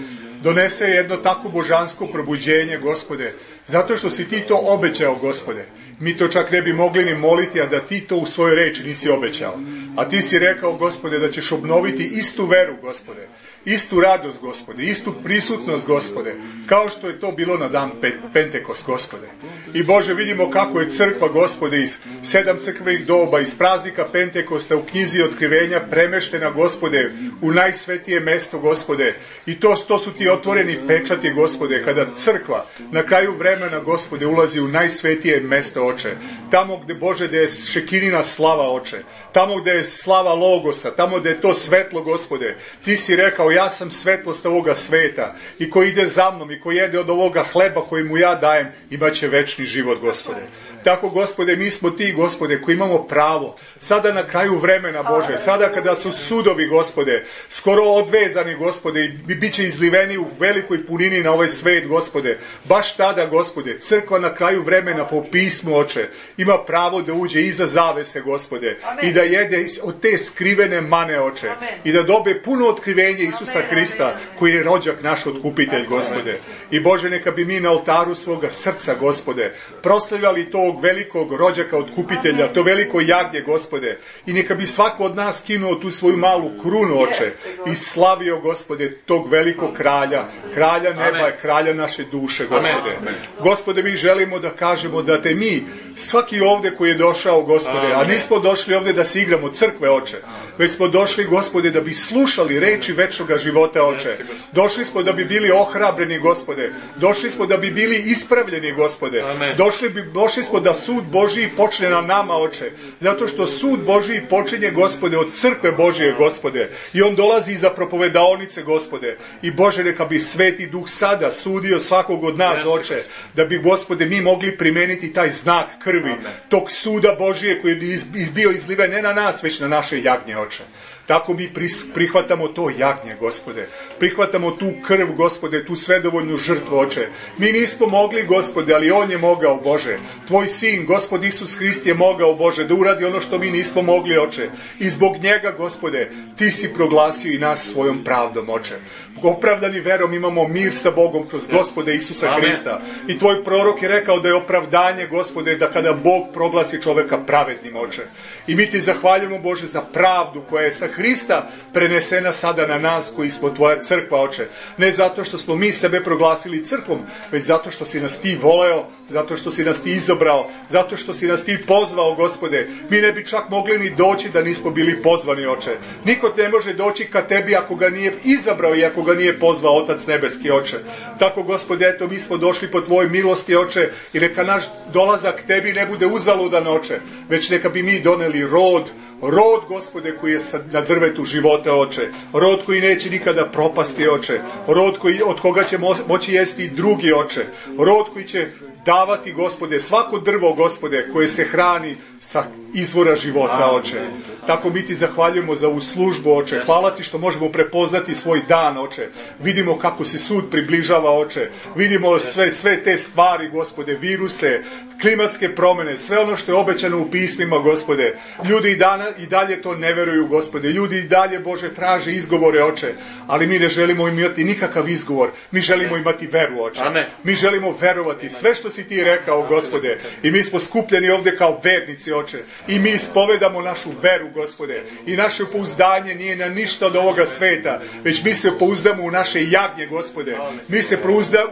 donese jedno tako božansko probuđenje, Gospode, zato što si Ti to obećao, Gospode. Mi to čak ne bi mogli ni moliti, a da Ti to u svojoj reči nisi obećao. A Ti si rekao, Gospode, da ćeš obnoviti istu veru, Gospode, istu radost, Gospode, istu prisutnost, Gospode, kao što je to bilo na dan Pentekost, Gospode. I Bože, vidimo kako je crkva, Gospode, iz sedam crkvenih doba, iz praznika Pentekosta u knjizi otkrivenja premeštena, Gospode, u najsvetije mesto, Gospode. I to, to su Ti otvoreni pečati, Gospode, kada crkva na kraju vremena, Gospode, ulazi u najsvetije mesto, Oče. Tamo gde, Bože, gde je šekinina slava, Oče. Tamo gde je slava Logosa, tamo gde je to svetlo, Gospode. Ti si rekao, ja sam svetlost ovoga sveta i ko ide za mnom i ko jede od ovoga hleba koji mu ja dajem, imaće večni život, Gospode. Tako, Gospode, mi smo ti, Gospode, koji imamo pravo. Sada na kraju vremena, Bože, sada kada su sudovi, Gospode, skoro odvezani, Gospode, i bit će izliveni u velikoj punini na ovaj svet, Gospode. Baš tada, Gospode, crkva na kraju vremena po pismu, Oče, ima pravo da uđe iza zavese, Gospode, i da jede od te skrivene mane, Oče, i da dobe puno otkrivenje Isusa Hrista, koji je rođak naš otkupitelj, Gospode. I Bože, neka bi mi na oltaru svoga srca, Gospode, proslavljali tog velikog rođaka otkupitelja, to veliko jagnje, Gospode, i neka bi svako od nas skinuo tu svoju malu krunu, Oče, i slavio, Gospode, tog velikog kralja, kralja neba, kralja naše duše, Gospode. Gospode, mi želimo da kažemo da te mi, svaki ovde koji je došao, Gospode, a nismo došli ovde da se igramo crkve, Oče, već smo došli, Gospode, da bi slušali reči večnoga života, Oče. Došli smo da bi bili ohrabreni, Gospode. Došli smo da bi bili ispravljeni, Gospode. Došli, bi, došli smo da sud Božiji počne na nama, Oče. Zato što sud Božiji počinje, Gospode, od crkve Božije, Gospode. I on dolazi iza propovedaonice, Gospode. I Bože, neka bi Sveti Duh sada sudio svakog od nas, Oče. Da bi, Gospode, mi mogli primeniti taj znak krvi, tog suda Božije koji je bio izliven ne na nas, već na naše jagnje, Oče. Tako mi prihvatamo to jagnje, Gospode. Prihvatamo tu krv, Gospode, tu svedovoljnu žrtvu, Oče. Mi nismo mogli, Gospode, ali on je mogao, Bože. Tvoj sin, Gospod Isus Hrist, je mogao, Bože, da uradi ono što mi nismo mogli, Oče. I zbog njega, Gospode, ti si proglasio i nas svojom pravdom, Oče. Opravdani verom imamo mir sa Bogom kroz Gospode Isusa Hrista. I tvoj prorok je rekao da je opravdanje, Gospode, da kada Bog proglasi čoveka pravednim, Oče. I mi ti zahvaljujemo, Bože, za pravdu koja je sa Hrista prenesena sada na nas koji smo tvoja crkva, Oče. Ne zato što smo mi sebe proglasili crkvom, već zato što si nas ti voleo, zato što si nas ti izabrao, zato što si nas ti pozvao, Gospode. Mi ne bi čak mogli ni doći da nismo bili pozvani, Oče. Niko ne može doći ka tebi ako ga nije izabrao i ako ga nije pozvao Otac nebeski, Oče. Tako, Gospode, eto, mi smo došli po tvojoj milosti, Oče, i neka naš dolazak tebi ne bude uzaludan, Oče, već neka bi mi doneli rod, rod, Gospode, koji je na drvetu života, Oče. Rod koji neće nikada propasti, Oče. Rod koji, od koga će mo- moći jesti i drugi, Oče. Rod koji će davati, Gospode, svako drvo, Gospode, koje se hrani sa izvora života, Oče. Tako mi ti zahvaljujemo za ovu službu, Oče. Hvala ti što možemo prepoznati svoj dan, Oče. Vidimo kako se sud približava, Oče. Vidimo sve, sve te stvari, Gospode, viruse, klimatske promene, sve ono što je obećano u pismima, Gospode. Ljudi i, dana, i dalje to ne veruju, Gospode. Ljudi i dalje, Bože, traže izgovore, Oče. Ali mi ne želimo imati nikakav izgovor. Mi želimo imati veru, Oče. Mi želimo verovati sve što si ti rekao, Gospode. I mi smo skupljeni ovde kao vernici, Oče. I mi ispovedamo našu veru, Gospode. I naše pouzdanje nije na ništa od ovoga sveta, već mi se pouzdamo u naše jagnje, Gospode. Mi se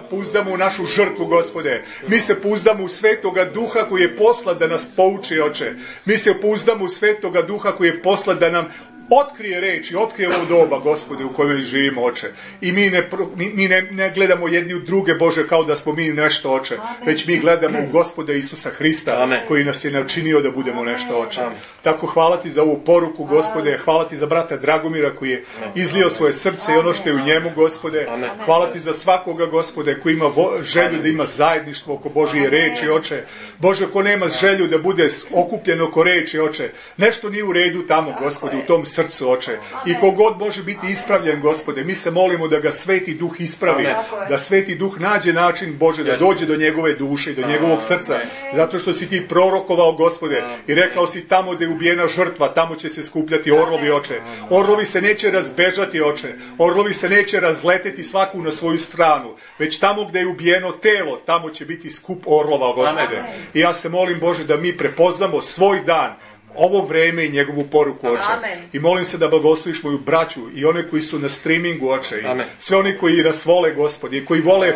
pouzdamo u našu žrtvu, Gospode. Mi se pouzdamo u Svetoga Duha koji je poslat da nas pouči, Oče. Mi se pouzdamo u Svetoga Duha koji je poslat da nam otkrije reči, otkrije ovo doba, Gospode, u kojoj živimo, Oče. I mi, ne, mi ne, ne gledamo jedni u druge, Bože, kao da smo mi nešto, Oče. Već mi gledamo u Gospoda Isusa Hrista, Amen, koji nas je načinio da budemo nešto, Oče. Amen. Tako hvala ti za ovu poruku, Gospode. Hvala ti za brata Dragomira koji je izlio svoje srce i ono što je u njemu, Gospode. Hvala ti za svakoga, Gospode, koji ima vo, želju da ima zajedništvo oko Božije reči, Oče. Bože, ko nema želju da bude okupljen oko reči, Oče. Nešto nije u redu tamo, Gospode, u tom srcu. Srcu, Oče. I kogod može biti ispravljen, Gospode, mi se molimo da ga Sveti Duh ispravi, da Sveti Duh nađe način, Bože, da dođe do njegove duše i do njegovog srca, zato što si ti prorokovao, Gospode, i rekao si tamo gde je ubijena žrtva, tamo će se skupljati orlovi, Oče. Orlovi se neće razbežati, Oče. Orlovi se neće razleteti svaku na svoju stranu, već tamo gde je ubijeno telo, tamo će biti skup orlova, Gospode. I ja se molim, Bože, da mi prepoznamo svoj dan, ovo vreme i njegovu poruku, Oče. Amen. I molim se da blagosloviš moju braću i one koji su na streamingu, Oče. I sve oni koji nas vole, Gospode, i koji vole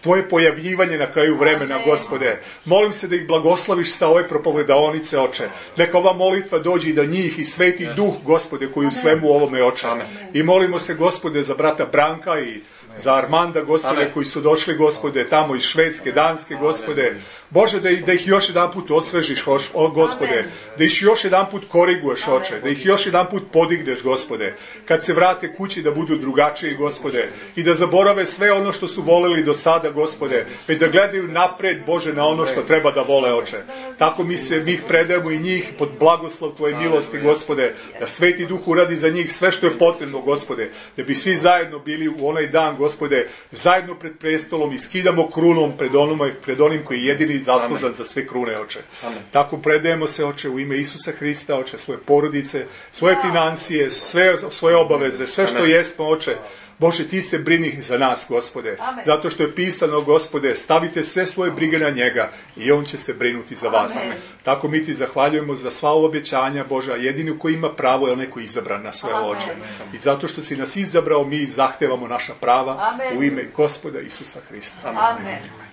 tvoje pojavljivanje na kraju vremena, Amen, Gospode. Molim se da ih blagosloviš sa ove propovedaonice, Oče. Neka ova molitva dođe i do njih i Sveti yes. Duh, Gospode, koji u svemu ovome, Oče. Amen. I molimo se, Gospode, za brata Branka i za Armanda, Gospode, Amen, koji su došli, Gospode, tamo iz Švedske, Danske, Gospode. Bože, da ih, da ih još jedan put osvežiš, o Gospode, Amen. da ih još jedan put koriguješ, Oče, da ih još jedan put podigneš, Gospode, kad se vrate kući da budu drugačiji, Gospode, i da zaborave sve ono što su voleli do sada, Gospode, već da gledaju napred, Bože, na ono što treba da vole, Oče. Tako mi se, mi ih predajemo i njih pod blagoslov Tvoje milosti, Gospode, da Sveti Duh uradi za njih sve što je potrebno, Gospode, da bi svi zajedno bili u onaj dan, Gospode, zajedno pred prestolom i skidamo krunom pred, onoma, pred onim koji je jedini zaslužan Amen. Za sve krune, Oče. Amen. Tako predajemo se, Oče, u ime Isusa Hrista, Oče, svoje porodice, svoje financije, sve svoje obaveze, sve što Amen. Jesmo, Oče. Bože, Ti se brini za nas, Gospode. Amen. Zato što je pisano, Gospode, stavite sve svoje brige na njega i on će se brinuti za vas. Amen. Tako mi Ti zahvaljujemo za sva obećanja, Bože, a jedini koji ima pravo je onaj koji je izabran na sve, Oče. I zato što si nas izabrao, mi zahtevamo naša prava Amen. U ime Gospoda Isusa Hrista. Amen. Amen.